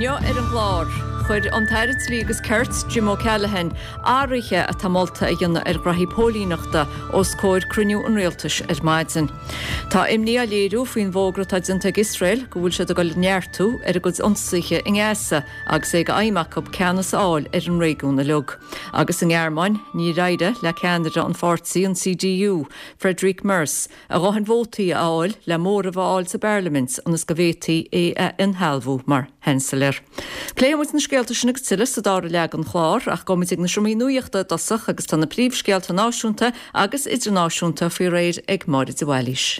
Inniu ar an gclár, chuir an tAire Dlí agus Cirt, Jim O'Callaghan, athruithe atá molta a dhéanamh ar ghraithí póilíneachta os comhair cruinniú an Rialtais ar maidin. Tá imní á léiriú faoin bhfógra atá déanta ag Iosrael go bhfuil siad ag dul a neartú ar a gcuid ionsaithe i nGaza agus é d'aidhm acu ceannas a fháil ar an réigiún uilig. Agus sa nGearmáin, níor éirigh le ceannaire an pháirtí, an CDU, Friedrich Merz, a dhóthain vótaí a fháil le móramh a fháil sa bparlaimint ionas go bhféadfaí é a inshealbhú mar Sheansailéir. Pléifidh muid na scéalta sin agus tuilleadh sa dara leath den chlár, ach gabhfaidh muid ag na seomraí nuachta i dtosach agus tá na príomhscéalta náisiúnta agus idirnáisiúnta faoi réir ag Máire de Bhailís.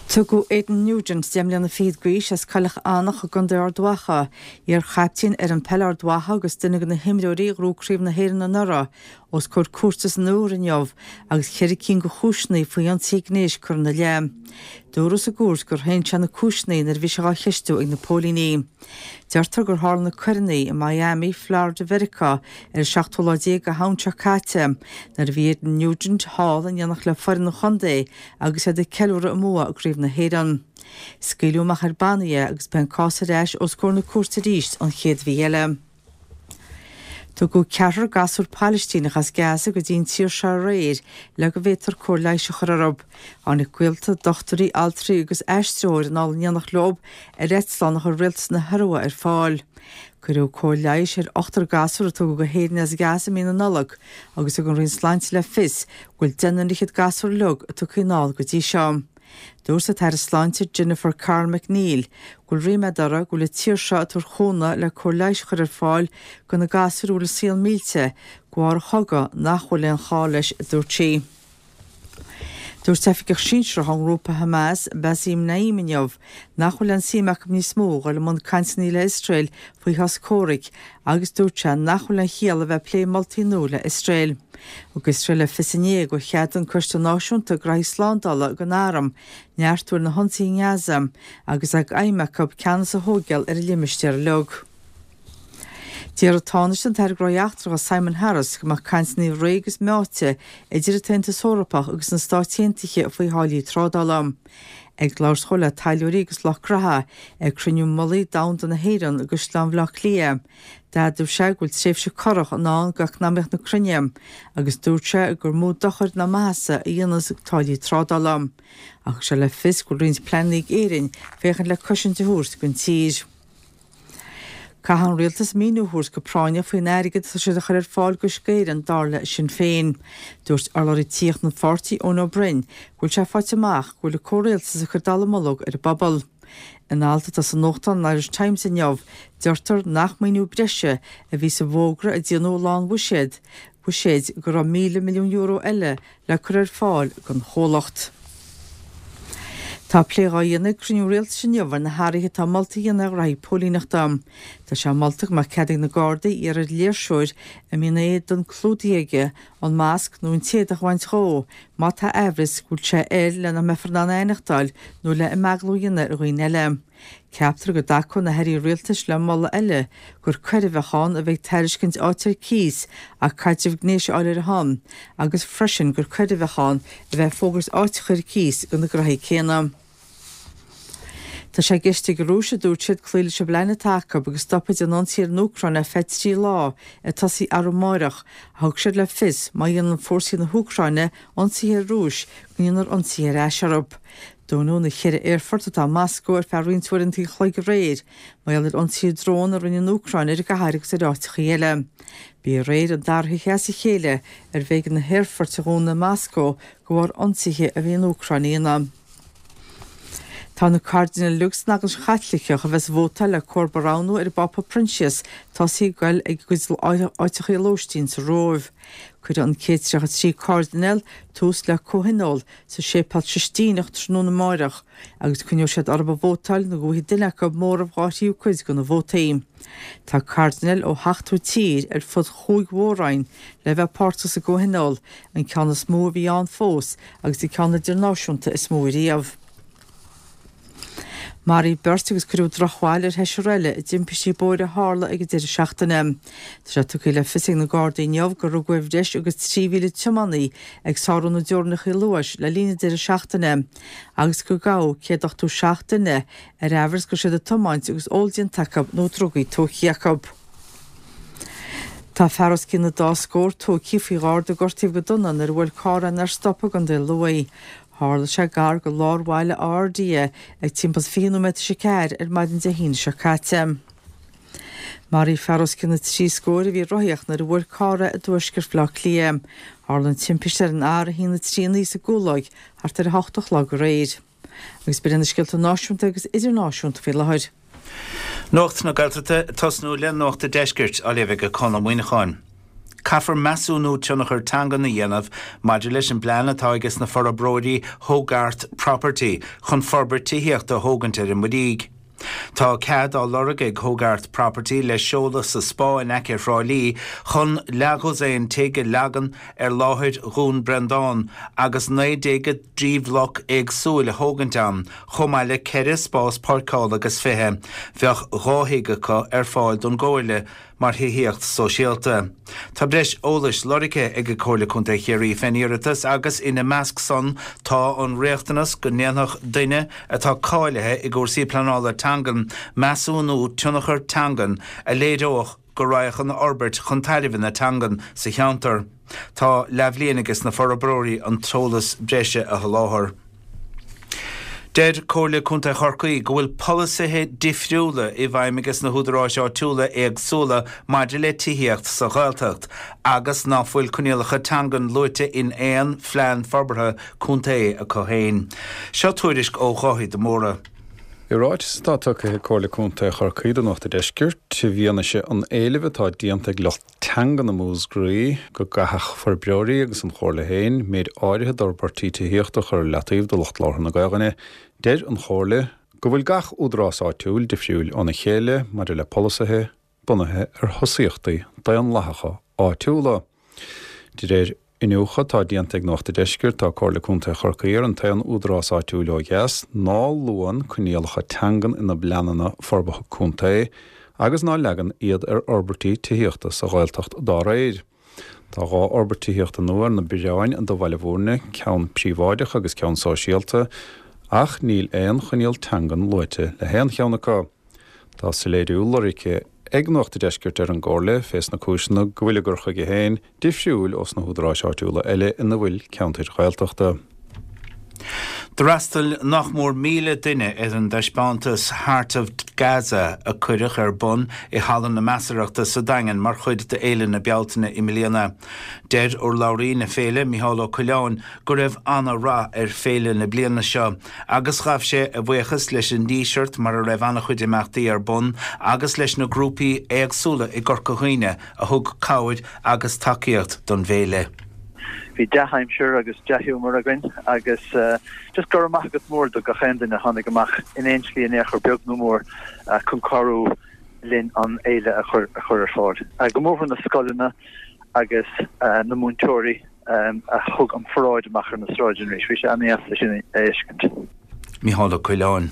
Tugadh Aidan Nugent, 10 mbliana fichead d'aois, as Coileach Eanach i gContae Ard Mhacha, iar-chaiptín fhoireann peile Ard Mhacha agus duine de na himreoirí a ghnóthaigh Craobh na hÉireann anuraidh, os comhair cúirte san Iúr inniu agus cheithre cinn de chúiseanna faoi ionsaithe gnéis curtha ina leith. Dúradh sa gcúirt gur shéan sé na cúiseanna nuair a bhí sé dhá cheistiú ag na póilíní. Deirtear gur tharla na coireanna i Miami, Florida Mheiriceá ar an seachtú lá déag de Shamhain seo caite nuair a bhí Aidan Nugent thall in éineacht le foireann an chontae agus iad ag ceiliúradh a mbua i gCraobh na hÉireann. Scaoileadh amach ar bannaí é agus beidh an cás ar ais os comhair na cúirte arís an chéad mhí eile. Tugadh ceathrar gasúr Pailistíneach as Gaza go dtí an tír seo aréir le go bhféadfar cóir leighis a chur orthu. Tháinig gaolta, dochtúirí, altraí agus aistritheoir anall in éineacht leo ar eitleán a chuir rialtas na hIorua ar fáil. Cuireadh cóir leighis ar ochtar gasúr a tugadh go hÉirinn as Gaza i mí na Nollag agus thug an Roinn Sláinte le fios go bhfuil deichniúr fhichead gasúr uilig tugtha anall go dtí seo. Dúirt an tAire Sláinte Jennifer Carroll MacNeill go bhfuil ríméad uirthi go bhfuil an tír seo ag tabhairt cúnamh le cóir leighis a chur ar fáil do na gasúir a bhfuil a saol millte de bharr an chogadh nach bhfuil aon chall leis, a dúirt sí. Dúirt oifigeach sinsearach ón ngrúpa Hamas, Basim Naim inniu nach bhfuil aon suim acu níos mó a dhul i mbun cainteanna le Iosrael faoi shos comhraic agus dúirt sé nach bhfuil aon chiall a bheith ag plé moltaí nua le Iosrael. Thug Iosrael le fios inné gur cheadaigh an Coiste Náisiúnta Graithí Slándála don arm neartú ar na hionsaithe i nGaza agus é d'aidhm acu ceannas a thóigeáil ar an limistéar uilig. D'iarr an Tánaiste an tAire Gnóthaí Eachtracha Simon Harris go mbeadh cainteanna réidh agus meáite idir an tAontas Eorpach agus na Stáit Aontaithe faoi tháillí trádála. Ag labhairt dhó le taidhleoirí agus lucht graithe ag Cruinniú Mullaigh Domhanda na hÉireann i gCaisleán Bhaile Átha Cliath, D'admhaigh sé go bhfuil tréimhse corrach i ndán d'eacnamaíocht na cruinne agus dúirt sé gur mó dochair ná maitheasa a dhéanfas táillí trádála. Ach thug sé le fios go bhfuil roinnt pleananna ag Éirinn féachaint le cosaint a thabhairt don tír. Caithfidh an Rialtas míniú a thabhairt go práinneach faoin airgead atá siad a chur ar fáil d'Uisce Éireann, dar le Sinn Féin. Dúirt urlabhraí tithíochta an pháirtí, Eoin Ó Broin, go bhfuil sé faighte amach go bhfuil an comhrialtas ag cur dallamullóg ar an bpobal. In alt atá sa nuachtán an Irish Times inniu, deirtear nach maoiniú breise a bhí sa bhfógra a déanadh lá an bhuiséid bhuiséid go raibh €1,000 milliún eile le cur ar fáil don chomhlacht. Tá plé dhá dhéanamh ag cruinniú rialtais inniu ar na hathruithe atá molta a dhéanamh ar ghraithí póilíneachta. Tá sé molta go mbeadh cead ag na Gardaí iarraidh ar léirseoir a mbíonn a éadan clúdaithe aige an masc nó an t-éadach a bhaint dhó má tá aimhreas go bhfuil sé air le nach mbeifear in ann aithneachtáil nó le imeaglú a dhéanamh ar dhaoine eile. Ceaptar go dtacóidh na hairí rialtais le moladh eile gur coir a bheadh ann a bheith ag tairiscint áit ar cíos ach caidreamh gnéis a fháil ar a shon agus freisin gur coir a bheadh ann a bheith ag fógairt áiteacha ar cíos do na graithí céanna. Tá sé i gceist ag an Rúis, a dúirt siad, cloí leis an bplean atá acu agus stopadh den ionsaí ar an Úcráin ar feadh 3 lá, ag tosaí arú amáireach, ach thug siad le fios má dhéanann fórsaí na hÚcráine ionsaithe ar an Rúis, go ndéanfar ionsaithe ar ais orthu. Dúnadh na cheithre aerfort atá i Moscó ar feadh roinnt uaireanta an chloig aréir, mar gheall ar ionsaithe drón a rinne an Úcráin ar an gcathair agus ar áiteachaí eile. B'í aréir an dara hoíche as a chéile arbh éigean na haerfoirt a dhúnadh i Moscó de bharr ionsaithe a bhí an Úcráin a dhéanamh. Tá na cairdinéil uilig san Eaglais Chaitliceach a bheas ag vótáil le comharba a roghnú ar an bPápa Proinsias tosaithe ag goil ag a gcuid áiteachaí lóistín sa Róimh. Cuirfidh an 133 cairdinéal tús le comhthionól sa Séipéal Sistíneach tráthnóna amáireach agus coinneoidh siad orthu ag vótáil nó go bhfaighidh duine acu móramh dhá thríú cuid de na vótaí. Tá cairdinéil ó sheachtó tír ar fud chúig mhór-roinn le bheith páirteach sa gcomhthionól, an ceann is mó a bhí ann fós agus an ceann idirnáisiúnta is mó ariamh. Maraíodh beirt agus cuireadh drochbhail ar sheisear eile i dtimpistí bóthair a tharla ag an deireadh seachtaine. Tá sé tugtha le fios ag na Gardaí inniu gur rugadh ar bhreis agus 3,000 tiománaí ag sárú na dteorainneacha luais le linn an deireadh seachtaine agus gur gabhadh 187 duine ar amhras go raibh siad ag tiomáint agus ól déanta acu nó drugaí tógtha acu. Tá fear os cionn an dá scór tógtha faoi gharda gortaithe go dona nuair a bhuail carr é nár stop i gContae Lú. Tharla sé gar go lár bhaile Átha Fhirdhia ag timpeall 20 nóiméad tar éis a 4 ar maidin Dé hAoine seo caite. Maraíodh fear os cionn na dtrí scór a bhí ag rothaíocht nuair a bhuail carr é i dtuaisceart Bhaile Átha Cliath. Tharla an timpiste ar an R139 sa gCúlóig thart ar 8 a chlog aréir. Agus b'in iad na scéalta náisiúnta agus idirnáisiúnta faoi láthair. Nuacht na Gaeltachta ag tosnú le Nuacht a' Deiscirt á léamh ag Conn Ó Muíneacháin. Caithfear measúnú tionchar teangan a dhéanamh maidir leis an bplean atá aige sna forbróirí Hogarth Property chun forbairt tithíochta a thógaint ar an Muirígh. Tá cead á lorg ag Hogarth Property le seoladh sa Spá in aice Thrá Lí chun leathdhosaen tigh a leagan ar láthair Dhún Breandán agus 1903 bhloc éagsúil a thógaint ann chomh maith le 4 spás páirceála agus 20. Bheadh 2 thigh acu ar fáil don gComhairle mar thithíocht sóisialta. Tá breis eolais lorgtha ag Comhairle Contae Chiarraí fén iarratas agus ina measc san tá an riachtanas go ndéanfadh duine atá cáilithe i gcúrsaí pleanála teangan measúnú tionchar teangan a léireodh go raghadh an fhorbairt chun tairbhe na teangan sa cheantar. Tá leathbhliain aige sna forbróirí an t-eolas breise a sholáthar. Deir Comhairle Contae Chorcaí go bhfuil polasaithe difriúla i bhfeidhm aige sna húdaráis áitiúla éagsúla maidir le tithíocht sa Ghaeltacht agus ná fuil coinníollacha teangan luaite in aon phlean forbartha contae acu féin. Seo tuairisc ó Dháithí de Mórdha. I ráiteas atá tugtha ag Comhairle Contae Chorcaí do Nuacht a' Deiscirt, i bhfianaise an éilimh atá déanta ag lucht teangan i Múscraí go gcaithfeadh forbróirí agus an Chomhairle féin méid áirithe d'fhorbairtí tithíochta a chur ar leataobh do lucht labhartha na Gaelainne. Deir an Chomhairle go bhfuil gach údarás áitiúil difriúil óna chéile maidir le polasaithe bunaithe ar thosaíochtaí daonlathacha áitiúla. De réir Iniúchadh atá déanta ag Nuacht a' Deiscirt, tá Comhairle Contae Chorcaí ar an t-aon údarás áitiúil ó dheas ná luann coinníollacha teangan ina bpleananna forbartha contae agus ná leagann iad ar fhorbairtí tithíochta sa Ghaeltacht dá réir. Tá 2 fhorbairt tithíochta nua ar na bioráin do Bhaile Bhúirne, ceann príobháideach agus ceann sóisialta, ach níl aon choinníoll teangan luaite le haon cheann acu. Tá soiléiriú lorgtha ag Nuacht a' Deiscirt ar an gComhairle fés na cúiseanna go bhfuil a gcur chuige féin difriúil ós na húdaráis áitiúla eile ina bhfuil ceantair Ghaeltachta. D'fhreastail nach mór 1,000 duine ar an dtaispeántas 'Heart of Gaza' a cuireadh ar bun i Halla na Measarthachta sa Daingean mar chuid d'Fhéile na Bealtaine i mbliana. Deir urlabhraí na féile, Micheál Ó Coileáin, go raibh ana-rath ar féile na bliana seo agus ghabh sé a bhuíochas leis an Díseart mar a raibh ana-chuid imeachtaí ar bun agus leis na grúpaí éagsúla i gCorca Dhuibhne a thug cabhair agus tacaíocht don bhféile. Bhí dea-aimsir agus dea-ghiúmar againn agus just go raibh maith agat mór do gach aon duine a tháinig amach in aon slí in aon chor beag nó mór chun cabhrú linn an fhéile a chur ar fáil. Go mórmhór na scoileanna agus na múinteoirí a thug an pharáid amach ar na sráideanna arís. Bhí sé an-deas é sin a fheiscint. Micheál Ó Coileáin.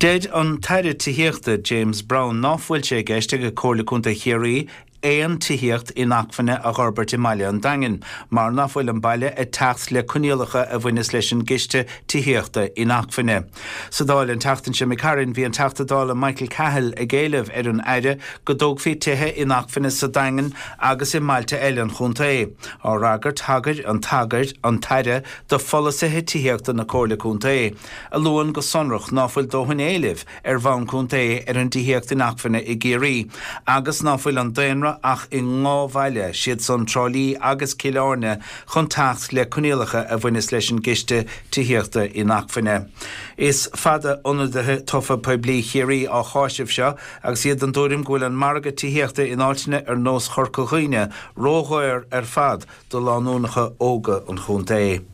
Deir an tAire Tithíochta James Browne ná fuil sé i gceist ag Comhairle Contae Chiarraí aon tithíocht inacmhainne a dh'fhorbairt i mbaile an Daingin mar ná fuil an baile ag teacht le coinníollacha a bhaineas leis an gCiste Tithíochta Inacmhainne. Sa Dáil an tseachtain seo imigh tharainn bhí an Teachta Dála Michael Cahill ag éileamh ar an Aire go dtógfaí tithe inacmhainne sa Daingean agus i mbailte eile an chontae. Á fhreagairt thagair an tagair an tAire do pholasaithe tithíochta na Comhairle Contae, a luann go sonrach ná fuil dóthain éilimh ar bhonn contae ar an dtithíocht inacmhainne i gCiarraí agus ná fuil an daonra ach i ndhá bhaile, siad san Trá Lí agus Cill Airne, chun teacht le coinníollacha a bhaineas leis an gCiste Tithíochta Inacmhainne. Is fada ionadaithe tofa poiblí Chiarraí á cháiseamh seo agus iad den dtuairim go bhfuil an margadh tithíochta in áiteanna ar nós Chorca Dhuibhne ródhaor ar fad do lánúineacha óga an chontae.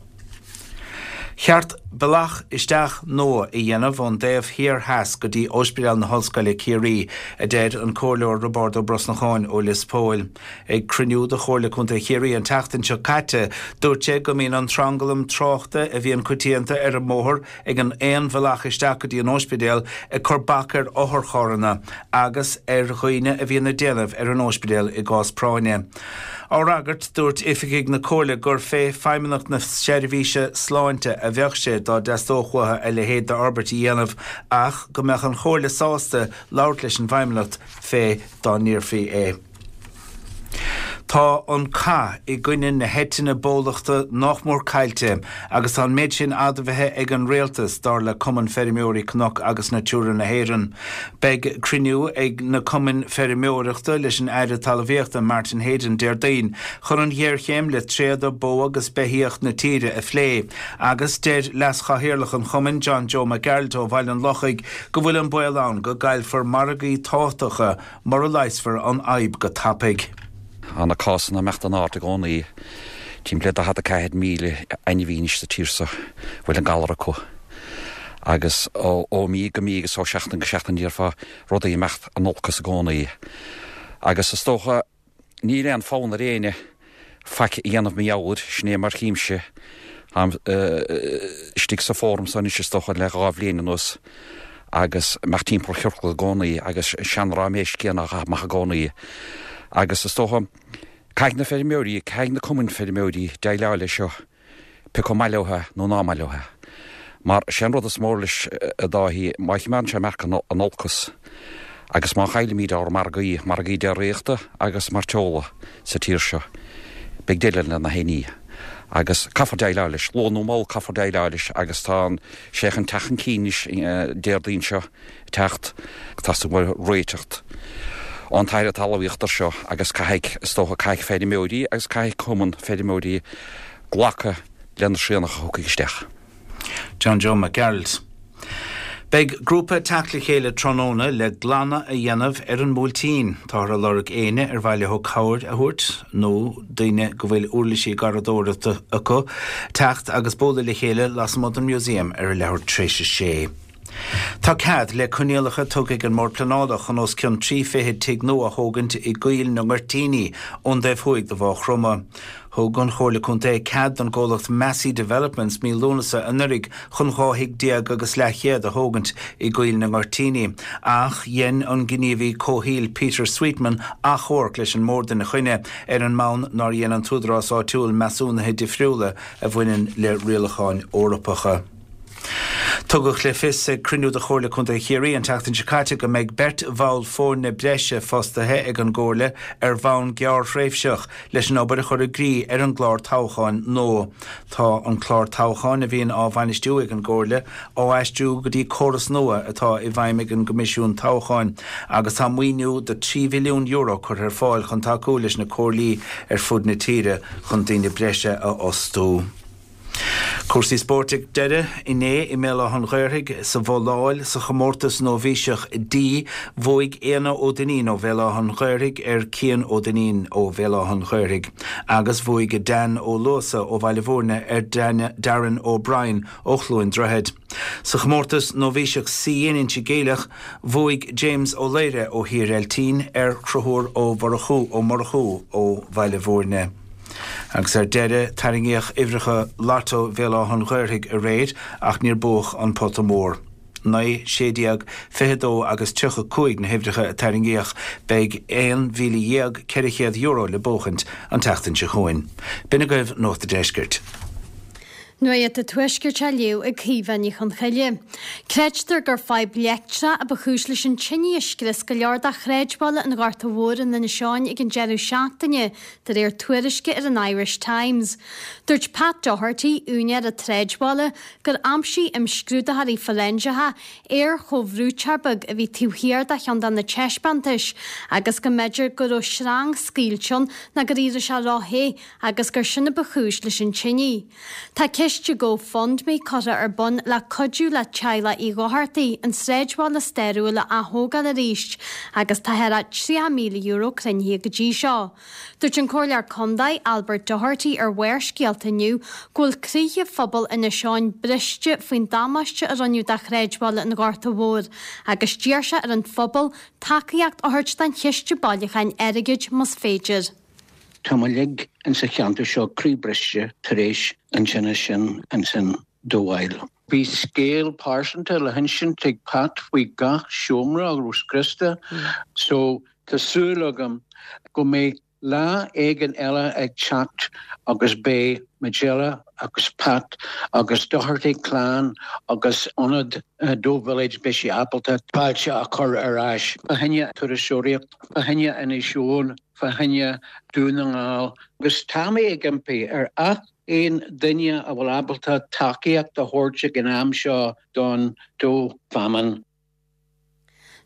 Cheart bealach isteach nua a dhéanamh ón dtaobh thiar theas go dtí Ospidéal na hOllscoile Ciarraí, a deir an Comhairleoir Roibeárd Ó Brosnacháin ó Lios Póil. Ag cruinniú de Chomhairle Contae Chiarraí an tseachtain seo caite, dúirt sé go mbíonn an tranglam tráchta a bhíonn coitianta ar an mbóthar ag an aon bhealach isteach go dtí an óispidéal ag cur bac ar otharcharranna agus ar dhaoine a bhíonn ag déanamh ar an óispidéal i gcás práinne. Á fhreagairt, dúirt oifigigh na Comhairle gur fé Feidhmeannacht na Seirbhíse Sláinte a bheadh sé dá dteastódh uathu a leithéid d'fhorbairt a dhéanamh ach go mbeadh an Chomhairle sásta labhairt leis an bhFeidhmeannacht fé dá n-iarrfaí é. Tá an cath i gcoinne na heitinne bólachta nách mór caillte agus tá an méid sin admhaithe ag an Rialtas, dar le Cumann Feirmeoirí Cnoc agus Natura na hÉireann. Beidh cruinniú ag na cumainn feirmeoireachta leis an Aire Talmhaíochta Martin Heydon Déardaoin chun an ghéarchéim le tréada bó agus beithíoch na tíre a phlé agus deir leas-chathaoirleach an chumainn John Joe Mac Gearailt ó Bhaile an Lochaigh go bhfuil an baol ann go gcaillfear margaí tábhachtacha mura leigheasfar an fhadhb go tapaidh. Tá na cásanna ag imeacht in airde i gcónaí. Timpeall le 44,000 ainmhí anois sa tír seo a bhfuil an galar acu. Agus ó mhí go mí agus ó sheachtain go seachtain déarfá rudaí ag imeacht in olcas i gcónaí. Agus is dócha níl aon fonn ar éinne faic a dhéanamh mar gheall air, sin é mar chímse. Táim istigh sa bhfóram so anois is dócha le 2 bhliain anuas agus imeacht timpeall ciorcal i gcónaí agus an sean-ráiméis céanna á chaitheamh amach i gcónaí. Agus is dócha caithfidh na feirmeoirí, caithfidh na cumainn feirmeoirí déileáil leis seo. pé acu maith leo é nó ná maith leo é. Mar sé an rud is mór leis a Dháithí, má choimeádann sé ag imeacht in olcas agus má chaillimid ár margaí, margaí déiríochta agus mairteola sa tír seo, beidh deireadh le na héinní. Agus caithfear déileáil leis, luath nó mall caithfear déileáil leis agus tá sé chun teacht chun cinn anois Déardaoin seo ag teacht. Teastaíonn uaidh réiteach ón tAire Talmhaíochta air seo agus caithfidh, is dócha, caithfidh feirmeoirí agus caithfidh cumann feirmeoirí glacadh le na srianacha a thiocfaidh isteach. John Joe Mac Gearailt. Beidh grúpa ag teacht le chéile tráthnóna le glanadh a dhéanamh ar an mBuailtín. Táthar ag lorg éinne ar mhaith leo cabhair a thabhairt nó daoine go bhfuil uirlisí garraíodóireachta acu teacht agus bualadh le chéile lasmuigh den Museum ar a leathuair tar éis a sé. Tá cead le coinníollacha tugtha ag an mBord Pleanála chun os cionn 30 tigh nua a thógaint i gCoill na nGoirtíní ón dtaobh thuaidh de Mhaigh Chromtha. Thug an Chomhairle Contae cead don gcomhlacht Massey Developments mí Lúnasa anuraidh chun 12 thigh agus leathchéad a thógaint i gCoill na nGoirtíní ach dhein an gníomhaí comhshaoil Peter Sweetman achomharc leis an mBord ina choinne ar an mbonn nár dhein an t-údarás áitiúil measúnuithe difriúla a bhaineann le rialacháin Eorpacha. Tugadh le fios ag cruinniú de Chomhairle Contae Chiarraí an tseachtain seo caite go mbeidh beirt bhall foirne breise fostaithe ag an gComhairle ar bhonn gearrthréimhseach leis an obair a chur i gcrích ar an gclár toghcháin nua. Tá an clár toghcháin a bhíonn á bhainistiú ag an gComhairle á aistriú go dtí córas nua atá i bhfeidhm ag an gCoimisiún Toghcháin agus tá maoiniú de €3 mhilliún curtha ar fáil chun tacú leis na comhairlí ar fud na tíre chun daoine breise a fhostú. Cúrsaí spóirt ag deireadh inné i mBéal Átha an Ghaorthaidh sa bhabhláil sa chomórtas nóibhíseach D, bhuaigh Éanna Ó Duinnín ó Bhéal Átha an Ghaorthaidh ar Cian Ó Duinnín ó Bhéal Átha an Ghaorthaidh agus bhuaigh Dan Ó Luasa ó Bhaile Bhúirne ar Darren O'Brien ó Chluain Droichead. Sa chomórtas nóibhíseach C in Inse Geimhleach, bhuaigh James Ó Laoire ó Thír Eiltín ar Chonchúr Ó Mhurchú Ó Murchú ó Bhaile Bhúirne. Agus ar deireadh, tarraingíodh uimhreacha Lotto Bhéal Átha an Ghaorthaidh aréir ach níor buadh an pota mór. 9, 16, 22 agus 35 na huimhreacha a tarraingíodh. Beidh €11,400 le buachaint an tseachtain seo chugainn. B'in agaibh Nuacht a' Deiscirt. Nuacht a' Tuaiscirt á léamh ag Caoimhe Ní Chonchoille. Creidtear gur fadhb leictreach a ba chúis leis an tine a scrios go leor de shráidbhaile an Ghorta Mhóir in Inis Eoghain ag an deireadh seachtaine, de réir tuairisce ar an Irish Times. Dúirt Pat Doherty, úinéir an tsráidbhaile, gur aimsigh imscrúdaitheoirí foiréinseacha aer-chomhbhrúiteoir beag a bhí taobh thiar de cheann de na taispeántais agus go mb'fhéidir go raibh sreang scaoilte ann nó go raibh sé ró-the agus gur sin a ba chúis leis an tine. Tá ceist. ciste GoFundMe curtha ar bun le cuidiú le teaghlach Uí Dhochartaigh an sráidbhaile stairiúil a ath-thógáil arís agus tá thar €30,000 cruinnithe go dtí seo. Dúirt an Comhairleoir Contae, Albert Doherty ar Bharrscéalta inniu go bhfuil croíthe phobal Inis Eoghain briste faoin damáiste a rinneadh do shráidbhaile an Ghorta Mhóir agus d'iarr sé ar an phobal tacaíocht a thabhairt don chiste bailiúcháin airgid más féidir. Tá muid uilig insa cheantar seo croíbhriste tar éis an tinnis sin ansin do bhaile. Bhí scéal pearsanta le hinsint ag Pat faoi gach seomra a raibh scriosta so tá súil agam go mbeidh lá éigin eile ag teacht agus beidh Majella agus Pat agus Doherty clann agus ionad Doagh Village beidh sé ábalta fáilte a chur ar ais fá choinne turasóireacht, fá choinne Inis Eoghain, fá choinne Dún na nGall agus tá mé ag impí ar ach aon duine a bhfuil ábalta tacaíocht a thabhairt ag an am seo don Doagh Famine.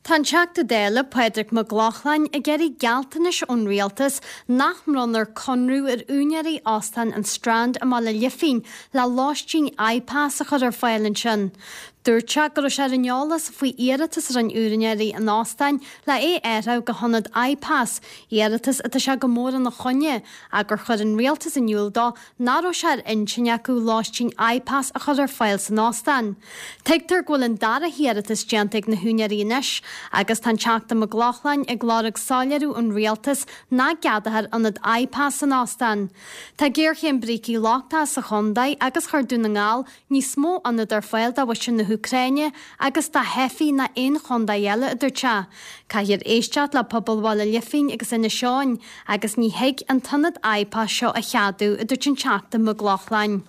Tá an Teachta Dála, Pádraig Mac Lochlainn, ag iarraidh gealltanais ón Rialtas nach mbronnfar conradh ar úinéirí Óstán an Strand i mBaile Lifín le lóistín IPAS a chur ar fáil ansin. Dúirt sé go raibh sé ar an eolas faoi iarratas a rinne úinéirí an óstáin le é a athrú go hionad IPAS, iarratas atá sé go mór ina choinne, ach gur chuir an Rialtas in iúl dó nach raibh sé ar intinn acu lóistín IPAS a chur ar fáil san óstán. Tuigtear go bhfuil an dara hiarratas déanta ag na húinéirí anois agus tá an Teachta Mac Lochlainn ag lorg soiléiriú ón Rialtas nach gceadófar ionad IPAS san óstán. Tá géarchéim brící lochtacha sa chontae agus chuir Dún na nGall níos mó ionad ar fáil do mhuintir na hÚcráine agus do theifigh ná aon chontae eile, a dúirt sé. Caithfear éisteacht le pobal Bhaile Lifín agus Inis Eoghain agus ní thig an t-ionad IPAS seo a cheadú, a dúirt an Teachta Mac Lochlainn.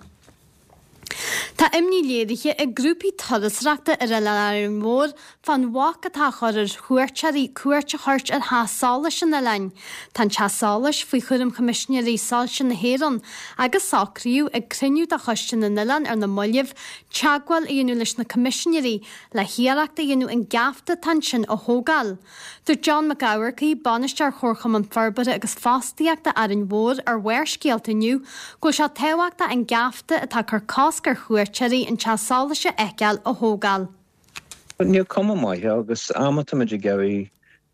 Tá imní léirithe ag grúpaí turasóireachta ar Oileán Árainn Mhór fán bhac atá á chur ar chuairteoirí cuairt a thabhairt ar theach solais an oileáin. Tá an teach solais faoi chúram Choimisinéirí Soilse na hÉireann agus socraíodh ag cruinniú de Choiste na nOileán ar na mallaibh teagmháil a dhéanamh leis na Coimisinéirí le hiarracht a dhéanamh an geafta atá ansin a thógáil. Dúirt John Mac Eamharcaigh, Bainisteoir Chomharchumann Forbartha agus Fostaíochta Árainn Mhór ar Bharrscéalta inniu go bhfuil sé tábhachtach an geafta atá ag cur cosc ar chuairteoirí an teach solais a fheiceáil a thógáil. Níl cuma maith air agus am atáimid ag iarraidh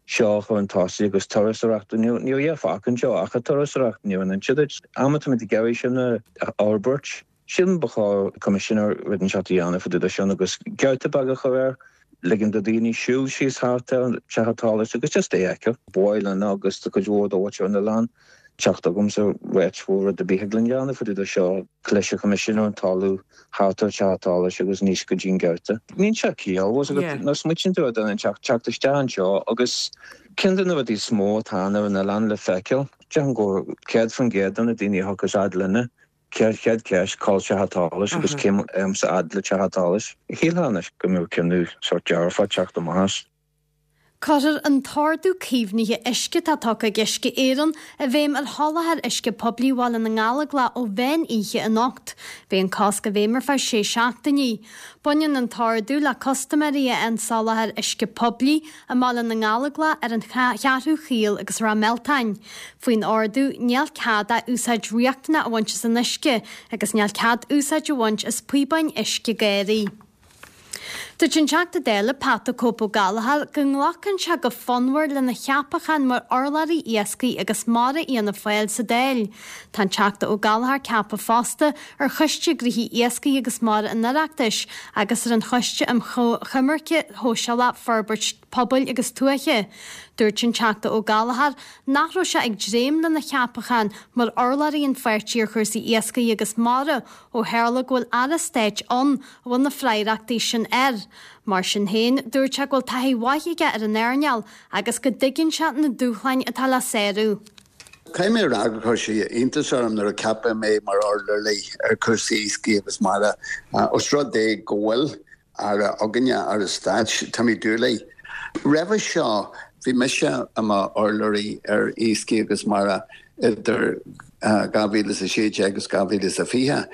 seo a chur chun tosaigh agus turasóireacht, níl a dhath fágtha anseo ach an turasóireacht, ní raibh an inse duit. Am atáimid ag iarraidh sin a fhorbairt, sílim ba chóir coimisinéir rud inteacht a dhéanamh fá dtaobh de sin agus geafta beag a chur air, ligean do dhaoine siúl síos thart ar an teach solais agus just é a fheiceáil. Ba mhaith linn agus do chuid mhór de mhuintir an oileáin teacht agamsa ráit bhfuil rud ar bith thig linn dhéanamh fá dtaobh de seo. Leis an choimisinéir an talamh thart ar teach solais agus aníos go dtí an geafta. Níl sé ciallmhar agat nuair a smaoitíonn tú ar duine teacht teacht isteach anseo agus ceann de na rudaí is mó atá ann ar an oileán le feiceáil. Déarfainn go 100% de na daoine a thiocfas fhad linne chéad chéad ceist cá bhfuil teach solais agus céim sa fhad le teach solais. Shílfeá anois go mbeadh cinneadh sórt dearfach teacht amach as. Cuirfear an t-ordú caomhnaithe uisce atá tugtha ag Uisce Éireann i bhfeidhm ar sholáthar uisce poiblí Bhaile na nGallóglach ó mheán oíche anocht. Beidh an cosc i bhfeidhm ar feadh sé seachtainí. Baineann an t-ordú le custaiméirí a fhaigheann soláthar uisce poiblí i mBaile na nGallóglach ar an Cheathrú Chaol agus Ráth Mealtain. Faoin ordú, níl cead ach úsáid riachtanach a bhaint as an uisce agus níl cead úsáid a bhaint as píobáin uisce garraí. Dúirt an Teachta Dála Pat 'The Cope' Ó Gallchóir go nglacann sé go fonnmhar lena cheapachán mar urlabhraí Iascaigh agus Mara Fhianna Fáil sa Dáil. Tá an Teachta Ó Gallchóir ceaptha fosta ar Choiste Gnóthaí Iascaigh agus Mara an Oireachtais agus ar an Choiste um Choimirce Shóisialach, Forbairt Pobail agus Tuaithe. Dúirt an Teachta Ó Gallchóir nach raibh sé ag dréim lena cheapachán mar urlabhraí an pháirtí ar chúrsaí iascaigh agus mara ó tharla go bhfuil Aire Stáit ann a bhfuil na freagrachtaí sin air. Mar sin féin, dúirt sé go bhfuil taithí mhaith aige ar an earnáil agus go dtuigeann sé na dúshláin atá le sárú. Caithfidh mé a rá gur chuir sé iontas orm nuair a ceapadh mé mar urlabhraí ar chúrsaí iascaigh agus mara. Os rud é go bhfuil Aire againne, Aire Stáit, Timmy Dooley. Roimhe seo, bhí mise i mo urlabhraí ar iascaigh agus mara idir 2016 agus 2020.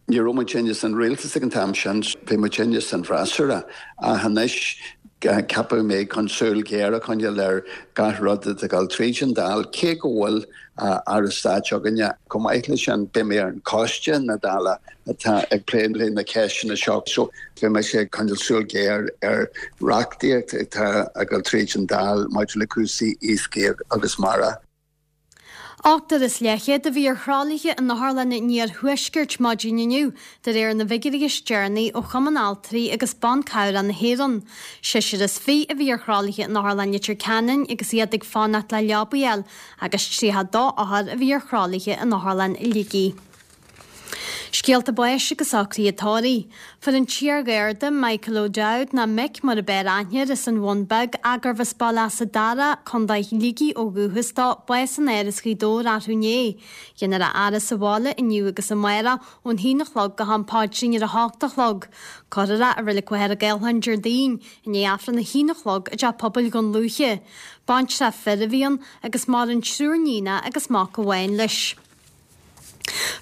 Ní raibh muidinne san rialtas ag an t-am sin, bhí muidinne san bhfreasúra, ach anois ceapadh mé chun súil ghéar a choinneáil ar gach rud atá ag dul tríd an Dáil, cé go bhfuil. Aire Stáit againne. Chomh maith leis sin, beidh mé ar an choiste na Dála atá ag plé le na ceisteanna seo so beidh mise ag coinneáil súil ghéar ar reachtaíocht atá ag dul tríd an Dáil maidir le cúrsaí iascaigh agus mara. Ochtar is leathchéad a bhí ar thralaithe in otharlanna an iarthuaiscirt maidin inniu, de réir na bhfigiúirí is deireanaí ó Chumann Altraí agus Ban Cabhrach na hÉireann. Seisear is 20 a bhí ar thralaithe in Otharlann Leitir Ceanainn agus iad ag fanacht le leabaí a fháil agus 32 othar a bhí ar thralaithe in Otharlann Shligigh. Scéalta báis agus socruithe tórraimh. Fuair an t-iar-gharda Michael O'Dowd, nó Mick mar a b'fhearr aithne air, as an Bhun Beag, gurbh as Baile Easa Dara, Co. Shligigh ó dhúchas dó, bás in Áras Ghaoth Dobhair arú inné. Déanfar a fhaire sa bhaile inniu agus amárach ón haon a chlog go ham paidrín ar a hocht a chlog. Cuirfear é i Reilig Mhachaire Gathlán Déardaoin i ndiaidh Aifreann a haon a chlog i dTeach Pobail Dhún Lúiche. Baintreach fir a bhí ann agus maireann triúr níonacha agus mac amháin leis.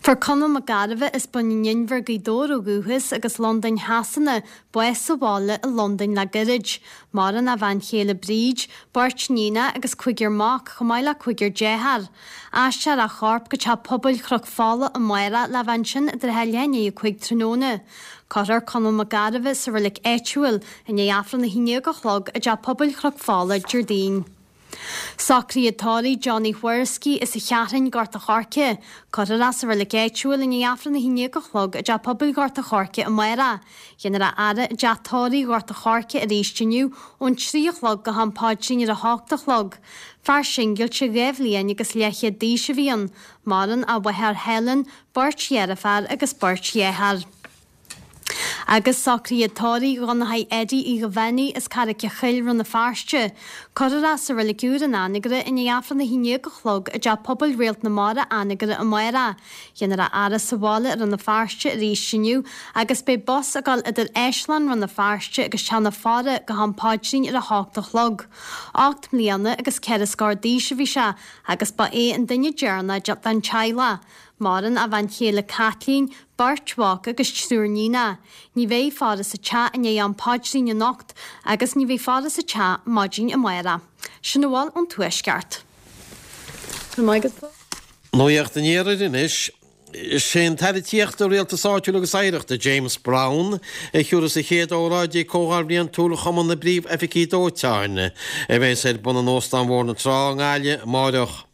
Fuair Conall Mac Gairbheith as Bun an Inbhir, Gaoth Dobhair ó dhúchas agus Londain Shasana, bás sa bhaile i Londain le gairid. Maireann a bhean chéile Bríd, beirt níonacha agus cúigear mac, chomh maith le cúigear dearthár. Aistreofar a chorp go Teach Pobail Chnoc Fola amárach le bheith ansin i dtrátha leath i ndiaidh 5 tráthnóna. Cuirfear Conall Mac Gairbheith sa reilig áitiúil i ndiaidh Aifreann 11 a chlog i dTeach Pobail Chnoc Fola Déardaoin. Socruithe tórraimh Johnny Whoriskey as an Cheathrúin, Gort a' Choirce. Cuirfear é sa reilig áitiúil i ndiaidh Aifreann 11 a chlog i dTeach Pobail Ghort a' Choirce amárach. Déanfar a fhaire i dTeach Tórraimh Ghort a' Choirce arís inniu ón 3 a chlog go ham paidrín ar a hocht a chlog. Fear singilte 2 bhliain agus leathchéad d'aois a bhí ann. Maireann a mháthair Helen, beirt dheirféar agus beirt dhearthár. Agus socruithe tórraimh Dhonnchaidh Eddie Uí Dhuibheannaigh as Carraic a' Choill, Rann na Feirste. Cuirfear é sa reilig úr in Anagaire i ndiaidh Aifreann 11 a chlog i dTeach Pobail Réalt na Mara, Anagaire amárach. Déanfar a fhaire sa bhaile i Rann na Feirste arís inniu agus beidh bus ag dul idir Áislann Rann na Feirste agus Teach na Faire go ham paidrín ar a hocht a chlog. 8 mbliana agus 4 scór d'aois a bhí sé agus ba é an duine deireanach den teaghlach. Maireann a bhean chéile Caitlín, beirt mhac agus triúr níonacha. Ní bheidh faire sa teach i ndiaidh am paidrín anocht agus ní bheidh faire sa teach maidin amárach. Sin a bhfuil ón Tuaisceart. Nuacht an Iarthair anois. Is é an tAire Tithíochta, Rialtais Áitiúil agus Oidhreachta, James Browne, a thiúrfas an chéad óráid ag Comhdháil Bhliantúil Chumann na bPríomh-Oifigí Dóiteáin, a bheas ar bun in Óstán Bhóthar na Trá i nGaillimh amáireach.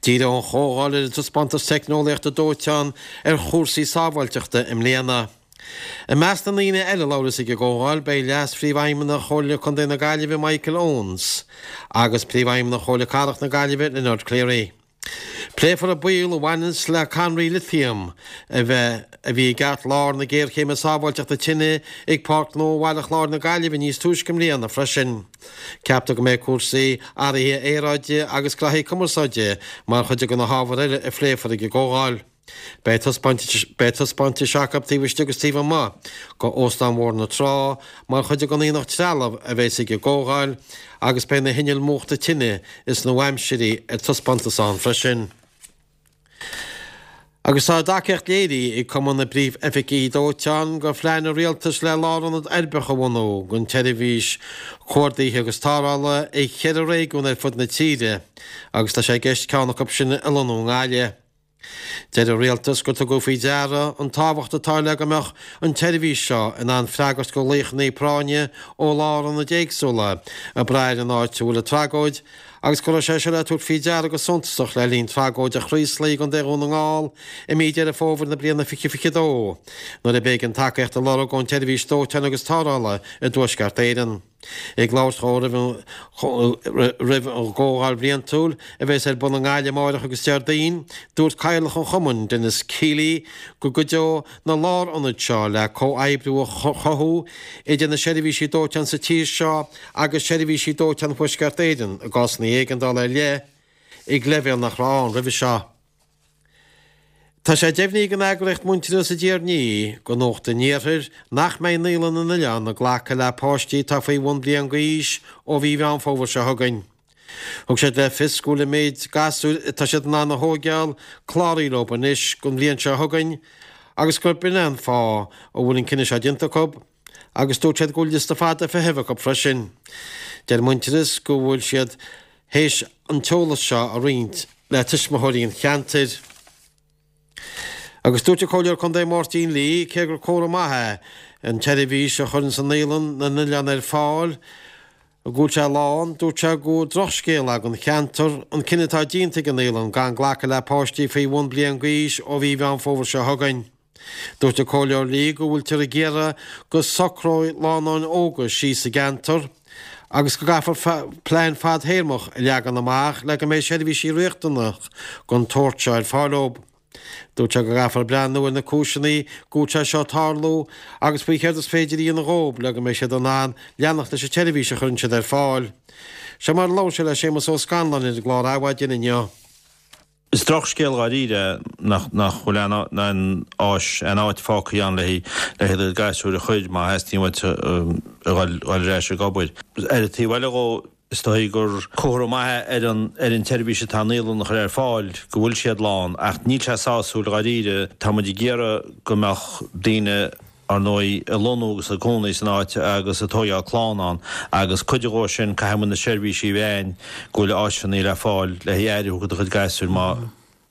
Díreoidh an chomhdháil ar an taispeántas teicneolaíochta dóiteáin ar chúrsaí sábháilteachta i mbliana. I measc na ndaoine eile a labhróidh ag an gcomhdháil beidh Leas-Phríomhfheidhmeannach Chomhairle Contae na Gaillimhe Michael Owens agus Príomhfheidhmeannach Chomhairle Cathrach na Gaillimhe Leonard Cleary. Pléifear an baol a bhaineanns le cadhnraí lithium a bheith a bhí i gceartlár na géarchéime sábháilteachta tine ag Páirc Ghnó Bhaile Chláir na Gaillimhe níos túisce i mbliana freisin. Ceaptar go mbeidh cúrsaí athraithe aeráide agus graithí cumarsáide mar chuid de na hábhair eile a phléifear ag an gcomhdháil. Beidh taispeántais acu taobh istigh agus taobh amuigh de Óstán Bhóthar na Trá mar chuid den aonach trealamh a bheas ag an gcomhdháil agus beidh na hinnill múchta tine is nua-aimsirí ar taispeántas ann freisin. Agus tá a dtacaíocht léirithe ag Cumann na bPríomh-Oifigí Dóiteáin do phlean an Rialtais le lárionad uirbeach a bhunú don tseirbhís cuardaithe agus tarrthála i cheithre réigiún ar fud na tíre agus tá sé i gceist ceann acu sin a lonnú i nGaillimh. Deir an Rialtas gur tugadh faoi deara an tábhacht atá le go mbeadh an tseirbhís seo in ann freagairt do ghlaochanna práinne ó lárionaid éagsúla ag brath ar an áit a bhfuil an tragóid agus go raibh sé seo le tabhairt faoi deara go suntasach le linn tragóid an Chraoslaigh i gContae Dhún na nGall i mí Deireadh Fómhair na bliana 2022, nuair a b'éigean tacaíocht a lorg ón tSeirbhís Dóiteáin agus Tarrthála i dTuaisceart Éireann. Ag labhairt dhó roimh an gcomhdháil bhliantúil a bheas ar bun i nGaillimh amáireach agus Déardaoin, dúirt Cathaoirleach an Chumainn, Denis Kealy, go gcuideoidh na lárionaid seo le comhoibriú a chothú idir na seirbhísí dóiteáin sa tír seo agus seirbhísí dóiteáin Thuaisceart Éireann i gcásanna éigeandála ar leith ag leibhéal nach raibh ann roimhe seo. Tá sé deimhnithe ag an eagraíocht Muintearas a d'iarr do Nuacht an Iarthair nach mbeidh Naíolann na nOileán ag glacadh le páistí atá faoi bhun bliain d'aois ó mhí Mheán Fómhair seo chugainn. Thug siad le fios go bhfuil an méid gasúir atá siad in ann a thóigeáil cláraithe leo anois don bhliain seo chugainn agus gurb in é an fáth a bhfuil an cinneadh seo déanta acu agus dúirt siad go bhfuil liosta fada feithimh acu freisin. Deir Muintearas go bhfuil siad théis an t-eolas seo a roinnt. le tuismitheoirí an cheantair. Agus dúirt an Comhairleoir Contae Máirtín Lee, cé gur comhartha maith é an tseirbhís a chuireanns an Naíolann na nOileán ar fáil, go bhfuil sé lán, dúirt sé gur drochscéal é don cheantar an cinneadh atá déanta ag an Naíolann gan glacadh le páistí faoi bhun bliain d'aois ó mhí Mheán Fómhair seo chugainn. Dúirt an Comhairleoir Lee go bhfuiltear ag iarraidh go socróidh lánúin óga síos sa gceantar agus go gcaithfear plean fadthéarmach a leagan amach le go mbeidh seirbhísí riachtanach den tsórt seo ar fáil dóibh. Dúirt sé go gcaithfear breathnú ar na cúiseanna go bhfuil sé seo ag tarlú agus faoi chéard is féidir a dhéanamh dhóibh le go mbeidh siad in ann leanacht leis an tseirbhís a chuireann siad ar fáil. Seo mar a labhair sé le Séamus Ó Scanláin ar an gclár Adhmhaidin inniu. Is drochscéal dháiríre é nach bhfuil aon áis, aon áit fágtha ann le haghaidh do ghasúir a chur má theastaíonn uait a dhul ar ais ag obair. Ar an taobh eile dhó, is dóigh gur comhartha maith é ar an ar an tseirbhís atá an naíolann a chur ar fáil go bhfuil siad lán ach níl sé sásúil dháiríre. Tá muid ag iarraidh go mbeadh daoine, ar ndóigh, ag lonnú agus ag cónaí san áit agus ag tóigeáil clann ann agus cuid dhó sin caithfidh muid na seirbhísí a bheith ann go bhfuil áiseanna le fáil le haghaidh áirithiú do do chuid gasúir má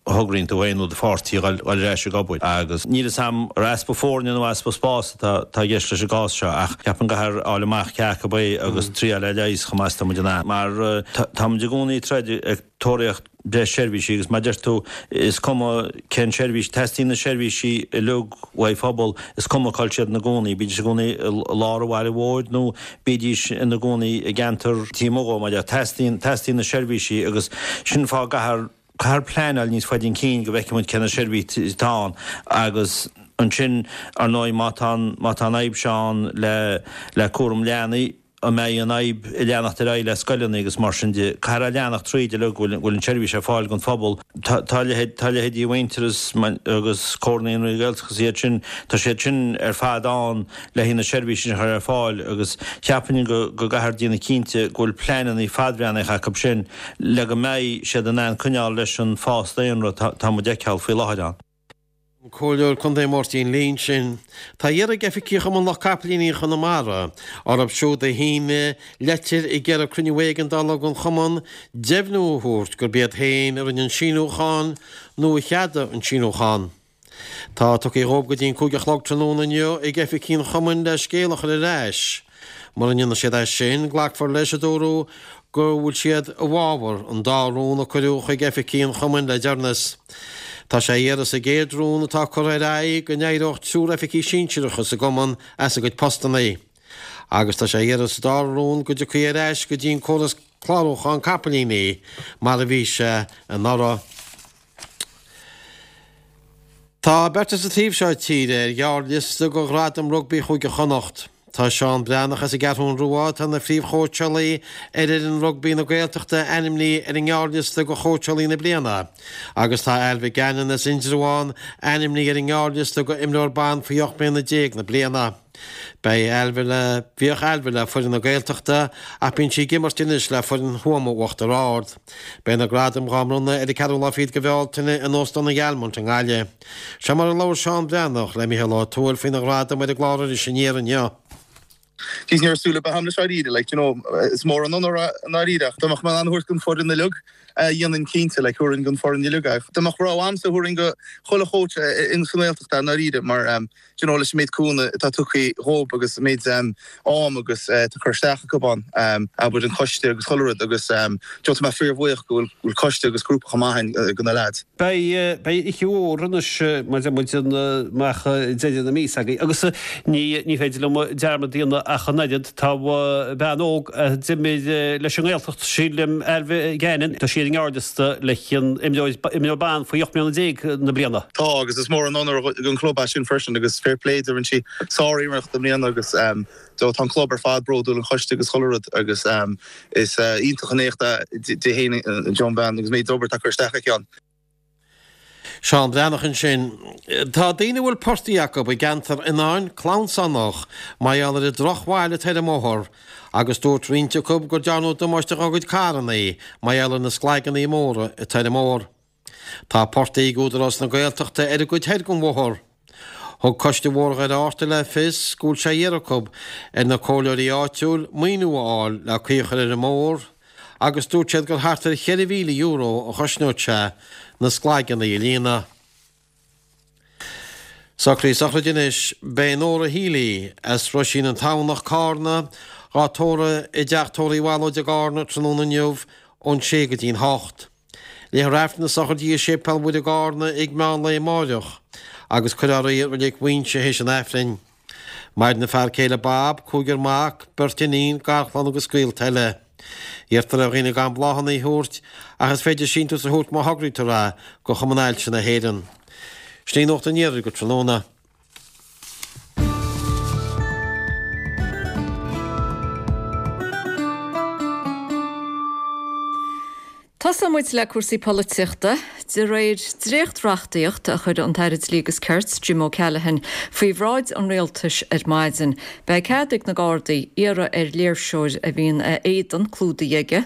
thograíonn tú féin nó do pháirtí a dhul ar ais ag obair. Agus níl fhios a'm ar easpa foirne nó easpa spáis atá i gceist leis an gcás seo ach ceapaim go gcaithfear fháil amach cé acu é agus triáil é a leigheas chomh maith is tá muid in ann. Mar tá muid i gcónaí ag troid ag tóraíocht breis seirbhísí agus mar a deir tú is cuma cén seirbhís, teastaíonn na seirbhísí uilig uaidh phobal, is cuma cá bhfuil siad ina gcónaí, bídís ina gcónaí i lár an bhaile mhóir nó bídís ina gcónaí i gceantar taobh amuigh dhó, mar a deir, teastaíonn, teastaíonn na seirbhísí agus sin an fáth go gcaithfear Caithfear pleanáil níos faide chun cinn go bhfeicfidh muid cé na seirbhísí atá ann agus ansin, ar ndóigh, má tá an, má tá an fhadhb seo ann le, le cúram leanaí, an mbeidh an fhadhb ag leanacht ar aghaidh le scoileanna agus mar sin de. Caithfear a leanacht tríd uilig go bhfuil, go bhfuil an tseirbhís ar fáil don phobal. Tá, tá leithéid, tá leithéidí Mhuintearas agus Comhar Naíonraí Gaeltachta agus iad sin, tá siad sin ar fad ann le haghaidh na seirbhísí sin a chur ar fáil agus cheapfainn go, go gcaithfear déanamh cinnte go bhfuil pleananna fadbhreathnaitheacha acu sin le go mbeidh siad in ann coinneáil leis an fás daonra atá muid a fheiceáil faoi láthair ann. An Comhairleoir Contae Máirtín Lee ansin. Tá á iarraidh ag oifigigh Chumann Lucht Capaillíní Chonamara orthu siúd a shínigh leitir ag iarraidh cruinniú éigeandála den chumann deimhniú a thabhairt gurb iad féin a rinne an síniúchán nó a cheadaigh an síniúchán. Tá tugtha dhóibh go dtí an 5 a chlog tráthnóna inniu ag oifigigh an chumainn le scéal a chur ar ais. Mura ndéanfaidh siad é sin, glacfar leis, a dúradh, go bhfuil siad i bhfabhar an dá rún a cuireadh chuig oifigigh an chumainn le deireanas. Tá sé á iarraidh sa gcéad rún atá curtha ar aghaidh go n-éireodh triúr oifigigh sinsearacha sa gcumann as a gcuid postanna. Agus tá sé á iarraidh sa dara rún go dtiocfaí ar ais go dtí an córas clárúcháin capaillíní mar a bhí sé anuraidh. Tá beirt as an taobh seo tíre ar ghearrliosta do Ghradam Rugbaí Chúige Chonnacht. Tá Seán Breathnach as an gCeathrún Rua, atá ina phríomhchóitseálaí ar fhoireann rugbaí na Gaeltachta, ainmnithe ar an ngearrliosta do Chóitseálaí na Bliana agus tá Ailbhe Gannon as Indreabhán ainmnithe ar an ngearrliosta do Imreoir Ban faoi 18 mbliana na bliana. Beidh Ailbhe le, bhíodh Ailbhe le foireann na Gaeltachta ach bíonn sí ag imirt anois le foireann Thuama Uachtar Ard. Beidh na gradaim dhá mbronnadh ar an ceathrú lá fichead de Bhealtaine in Óstán an Ghealmont i nGaillimh. Seo mar a labhair Seán Breathnach le Mícheál Ó Tuathail faoina ghradaim ar an gclár Iris Aniar inniu. Jeez, ní raibh súil ar bith agam leis dáiríre, like, you know, is mór an onóir é i ndáiríre ach dá mbeadh mé in ann a thabhairt don foireann uilig, dhéanfainn cinnte, like, thabharfainn don foireann uilig é. Dá mbeadh rogha agamsa thabharfainn do chuile chóits in sa nGaeltacht é i ndáiríre mar, do you know, leis an méid cúnamh atá tugtha dhób agus an méid am agus atá curtha isteach acu ann, abair an coiste agus chuile rud agus do you know, tá mé fíorbhuíoch go bhfuil coiste agus grúpa chomh maith ann do na leaids. Beidh, beidh oíche mhór anois mar a deir muid amach deireadh na míosa againn agus ní, ní féidir liom dearmad a dhéanamh ach an oiread, tá bean óg a d'imir leis an nGaeltacht, sílim, Ailbhe Gannon, tá sí ar an ngearrliosta le an imreoir, imreoir ban faoi 18 mbliana na bliana. Tá agus is mór an onóir don chlub é sin freisin agus fair play di, rinne sí sár-iarracht i mbliana agus do tá an club ar fad bródúil, an choiste agus chuile rud agus is iontach an éacht é di fhéin an bhean agus méid obair atá curtha isteach aici ann. Seán Breathnach ansin. Tá daoine a bhfuil portaigh acu i gceantar Fhionáin clamhsánach mar gheall ar an drochbhail atá ar an mbóthar agus dúirt roinnt acu go dtearnadh damáiste dá gcuid carranna mar gheall ar na sclaigeanna móra atá ar an mbóthar. Tá portaigh ag Údarás na Gaeltachta ar an gcuid thoir den bhóthar. Thug Coiste Bhóthar Dhoire Fhatharta le fios go bhfuil sé iarrtha acu ar na comhairleoirí áitiúil maoiniú a fháil le caoi a chur ar an mbóthar. agus dúirt siad gur thart ar €4,000 a chosnódh sé na sclaigeanna a líonadh. Socruithe sochraide anois. Beidh Nóra Healy as Roisín an Tamhnach, Cárna, dhá tórramh i dteach tórraimh Uí Bhallóid i gCárna tráthnóna inniu ón sé go dtí'n hocht. Léifear Aifreann na sochraide i Séipéal Mhuire i gCárna ag meán lae amáireach agus cuirfear í i Reilig Mhuinseo théis an Aifrinn. Maireann a fear céile Bob, cúigear mac, beirt iníon, garchlann agus gaolta eile. Iarrtar ar dhaoine gan bláthanna a thabhairt ach is féidir síntiús a thabhairt má thograítear é go Chumann Ailse na hÉireann. Sin í Nuacht an Iarthair go tráthnóna. Tosóidh muid le cúrsaí polaitíochta. De réir dréacht-reachtaíocht a chuir an tAire Dlí agus Cirt, Jim O'Callaghan, faoi bhráid an Rialtais ar maidin, beidh cead ag na Gardaí iarraidh ar léirseoir a bhíonn a éadan clúdaithe aige,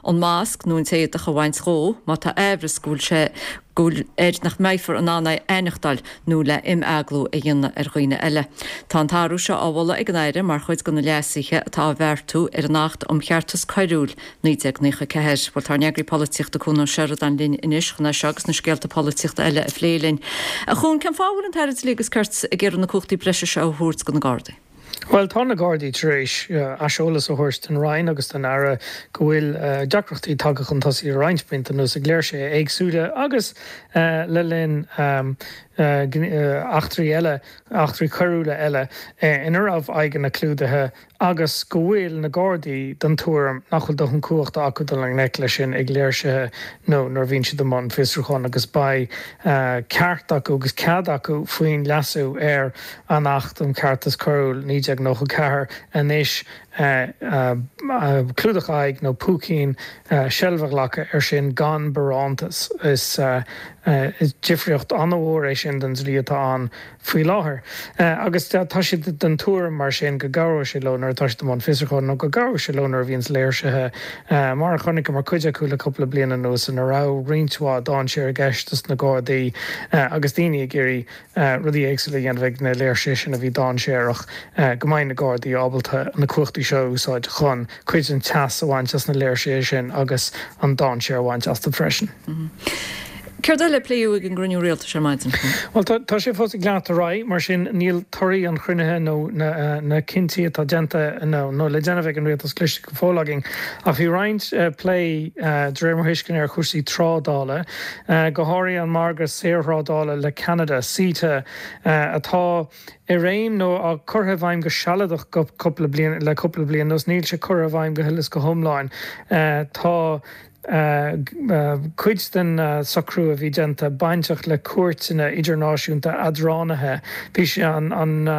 an masc nó an t-éadach a bhaint dhó má tá aimhreas go bhfuil sé go bhfuil air nach mbeifear in ann é a aithneachtáil nó le imeaglú a dhéanamh ar dhaoine eile. Tá an t-athrú seo á mholadh ag an Aire mar chuid de na leasuithe atá á bheartú ar an Acht um Cheartas Coiriúil, 1994. Bhuel, tá ár n-eagraí polaitíochta Cuan Ó Seireadáin linn anois chun é seo agus na scéalta polaitíochta eile a phlé linn. A Chuain, cén fáth a bhfuil an tAire Dlí agus Cirt ag iarraidh na cumhachtaí breise seo a thabhairt do na Gardaí? Bhuel, tá na Gardaí tar éis aiseolas a thabhairt don Roinn agus don Aire go bhfuil deacrachtaí tagtha chun tosaigh le roinnt blianta anuas ag léirsithe éagsúla agus le linn eachtraí eile, eachtraí coiriúla eile ina raibh aghaidheanna clúdaithe agus go bhfuil na Gardaí den tuairim nach bhfuil dóthain cumhachta acu dul i ngleic leis sin ag léirsithe nó nuair a bhíonn siad i mbun fiosrúcháin agus beidh ceart acu agus cead acu faoin leasú ar an Acht um Cheartas Coiriúil 1994 anois clúdach aghaidh nó púicín seilbh a ghlacadh air sin gan barántas. Is difríocht an-mhór é sin don dlí atá ann faoi láthair. Agus tá siad den tuairim mar sin go gcabhróidh sé leo nuair atá siad i mbun fiosrúcháin nó go gcabhróidh sé leo nuair a bhíonns léirsithe, mar a chonaiceamar cuid acu le cúpla bliain anuas, ina raibh roinnt mhaith dainséar i gceist dos na Gardaí agus daoine ag iarraidh rudaí éagsúla a dhéanamh ag na léirsithe sin a bhí dainséarach, go mbeidh na Gardaí ábalta na cumhachtaí seo a úsáid chun cuid den teas a bhaint as na léirsithe sin agus an dainséar a bhaint astu freisin. Céard eile a pléadh ag an gcruinniú rialtais ar maidin? Bhuel, tá sé fós ag leanacht ar aghaidh, mar sin níl torthaí an chruinnithe nó na cinntí atá déanta nó le déanamh ag an rialtas cloiste go fóill againn. Ach bhí roinnt plé, de réir mo thuisceana, ar chúrsaí trádála, go háirithe an margadh saorthrádála le Ceanada, CETA, atá i réim nó á curtha i bhfeidhm go sealadach go cúpla bliain, le cúpla bliain anuas. Níl sé curtha i bhfeidhm go huile is go hiomlán. Tá. Cuid den socrú a bhí déanta bainteach le cúirteanna idirnáisiúnta eadránaithe. Bhí sé an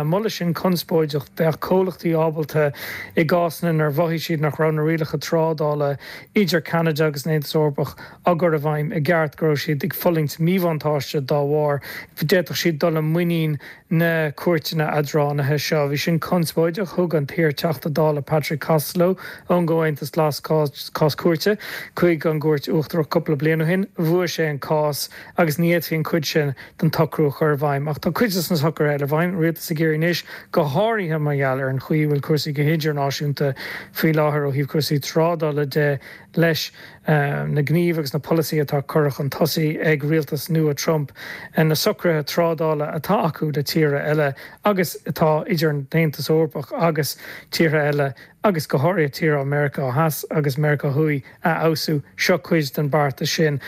moladh sin conspóideach. Bheadh comhlachtaí ábalta, i gcásanna inar mhothaigh siad nach raibh na rialacha trádála idir Ceanada agus an Aontas Eorpach á gcur i bhfeidhm i gceart, go raibh siad ag fulaingt míbhuntáiste dá bharr, d'fhéadfadh siad dul i muinín na cúirteanna eadránaithe seo. Bhí sin conspóideach. Thug an t-iar-Teachta Dála Patrick Costello ón gComhaontas Glas cás cúirte chuig an gCúirt Uachtarach cúpla bliain ó shin. Bhuaigh sé an cás agus ní fhéadfaí an chuid sin den tsocrú a chur i bhfeidhm. Ach tá cuid de na socruithe eile i bhfeidhm. Rialtas ag iarraidh anois, go háirithe mar gheall ar an chaoi a bhfuil cúrsaí go hidirnáisiúnta faoi láthair ó thaobh cúrsaí trádála de, leis na gnímh agus na polasaithe atá curtha chun tosaigh ag rialtas nua Trump, na socruithe trádála atá acu le tíortha eile agus atá idir an tAontas Eorpach agus tíortha eile agus go háirithe tíortha Meiriceá Theas agus Meiriceá Thuaidh a fheabhsú. Seo cuid den beartas sin.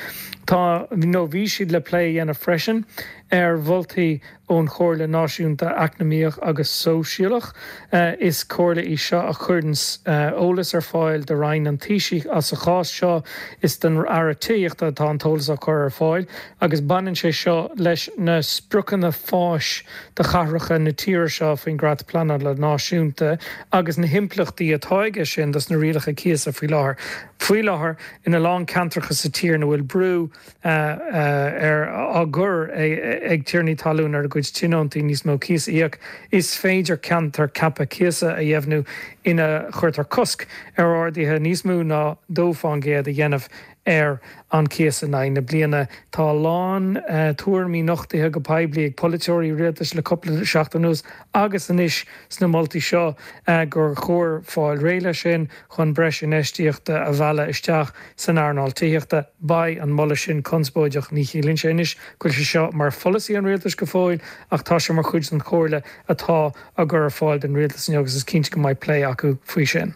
Tá, nó bhí siad le plé a dhéanamh freisin ar mholtaí ón Chomhairle Náisiúnta Eacnamaíoch agus Sóisialach. Is comhairle í seo a chuireanns eolas ar fáil do Roinn an Taoisigh. Sa chás seo, is don Aire Tithíochta atá an t-eolas á chur ar fáil agus baineann sé seo leis na spriocanna fáis do chathracha na tíre seo faoin gCreat Pleanála Náisiúnta agus na himpleachtaí atá aige sin dos na rialacha cíosa faoi láthair. Faoi láthair, ina lán ceantracha sa tír ina bhfuil brú ar á gcur ag tiarnaí talún ar a gcuid tionóntaí níos mó cíos a íoc. Is féidir ceantar ceaptha cíosa a dheimhniú ina chuirtear cosc ar arduithe níos mó ná 2 fán gcéad a dhéanamh ar an cíos in aghaidh na bliana. Tá a lán tuairimí nochtaithe go poiblí ag polaiteoirí rialtais le cúpla seachtain anuas agus anois sna moltaí seo gur chóir fáil réidh leis sin chun breis infheistíochta a mhealladh isteach san earnáil tithíochta. Beidh an moladh sin conspóideach. Ní chiallaíonn sé anois go bhfuil sé seo mar pholasaí an rialtais go fóill ach tá sé mar chuid den chomhairle atá á gcur ar fáil don rialtas inniu agus is cinnte go mbeidh plé acu faoi sin.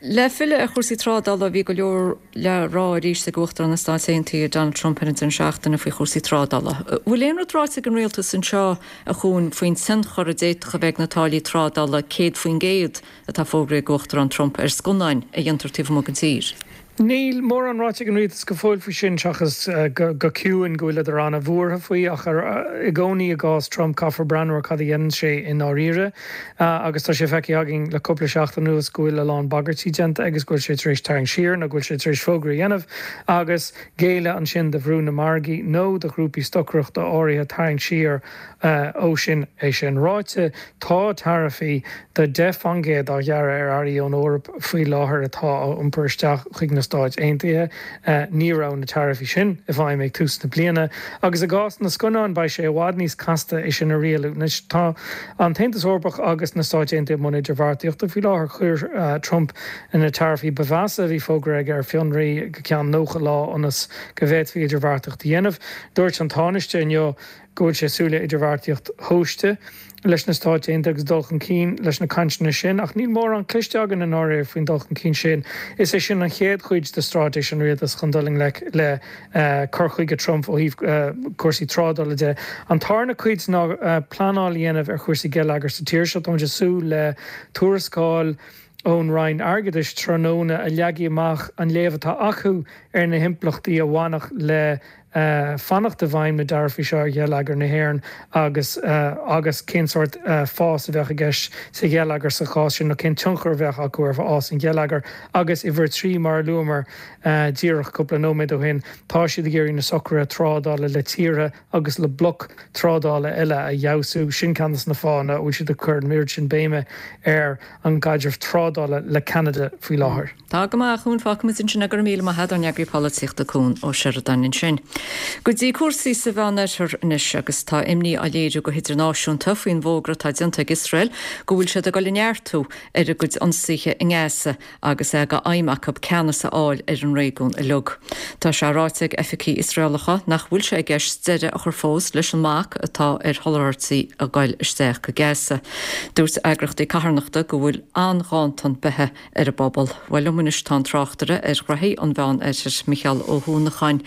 Le filleadh ar chúrsaí trádála, bhí go leor le rá arís ag Uachtarán na Stát Aontaithe, Donald Trump ar an deireadh seachtaine faoi chúrsaí trádála. Bhfuil aon rud ráite ag an rialtas anseo, a Chuain, faoin tionchar a d'fhéadfadh a bheith ag na táillí trádála 100% atá fógraithe ag Uachtarán Trump ar scannáin a dhéantar taobh amuigh den tír? Níl mórán ráite ag an rialtas go fóill faoi sin, seachas go ciúin go bhfuileadar an-bhuartha faoi, ach i gcónaí i gcás Trump caithfear breathnú ar cad a dhéanann sé i ndáiríre. Agus tá sé feicthe againn le cúpla seachtain anuas go bhfuil a lán bagairtí déanta agus go bhfuil sé tar éis tarraingt siar nó go bhfuil sé tar éis fógra a dhéanamh agus géilleadh ansin do bhrú na margaí nó do ghrúpaí stocaireachta áirithe tarraingt siar ó sin. É sin ráite, tá taraifí de 10% á ghearradh ar earraí ón Eoraip faoi láthair atá á iompar isteach chuig na Stáit Aontaithe. Ní raibh na taraifí sin i bhfeidhm ag tús na bliana. Agus i gcás na scannán, beidh sé i bhfad níos casta é sin a rialú. Anois, tá an tAontas Eorpach agus na Stáit Aontaithe i mbun idirbheartaíochta faoi láthair. Chuir Trump na taraifí ba mheasa a bhí fógartha aige ar fionraí go ceann 90 lá ionas go bhféadfaí idirbheartaíocht a dhéanamh. Dúirt an Tánaiste inniu go bhfuil sé ag súil le idirbheartaíocht thomhaiste leis na Stáit Aontaithe agus dul chun cinn leis na cainteanna sin, ach níl mórán cloiste againn i ndáiríre faoin dul chun cinn sin. Is é sin an chéad chuid de straitéis an rialtais chun dul i ngleic le cur chuige Trump ó thaobh cúrsaí trádála de. An tarna cuid ná pleanáil a dhéanamh ar chúrsaí geilleagair sa tír seo. Táimid ag súil le tuarascáil ón Roinn Airgeadais tráthnóna a leagfaidh amach an léamh atá acu ar na himpleachtaí a bhainfeadh le fanacht i bhfeidhm na dtaraifí seo ar gheilleagar na hÉireann agus agus cén sórt fás a bheadh i gceist sa gheilleagar sa chás sin nó cén tionchar a bheadh acu ar fhás an gheilleagair. Agus uimhir a 3, mar a luamar díreach cúpla nóiméad ó shin, tá siad ag iarraidh na socruithe trádála le tíortha agus le bloic trádála eile a fheabhsú. Sin ceann de na fáthanna a bhfuil siad ag cur an oiread sin béime ar an gcaidreamh trádála le Ceanada faoi láthair. Tá go maith, a Chuain, fágfaimid ansin é, go raibh míle maith agat, ár n-eagraí polaitíochta Cuan Ó Seireadáin ansin. Go dtí cúrsaí sa Mheánoirthear anois agus tá imní á léiriú go hidirnáisiúnta faoin bhfógra atá déanta ag Iosrael go bhfuil siad ag dul a neartú ar a gcuid ionsaithe i nGaza agus é d'aidhm acu ceannas a fháil ar an réigiún uilig. Tá sé ráite ag oifigigh Iosraelacha nach bhfuil sé i gceist deireadh a chur fós leis an mbac atá ar sholáthairtí a ghoil isteach go Gaza. Dúirt eagraíochtaí carthanachta go bhfuil an-ghanntan beatha ar an bpobal. Bhuel, liom anois tá an tráchtaire ar ghnoithí an Mheán-Oirthir, Micheál Ó hUanacháin.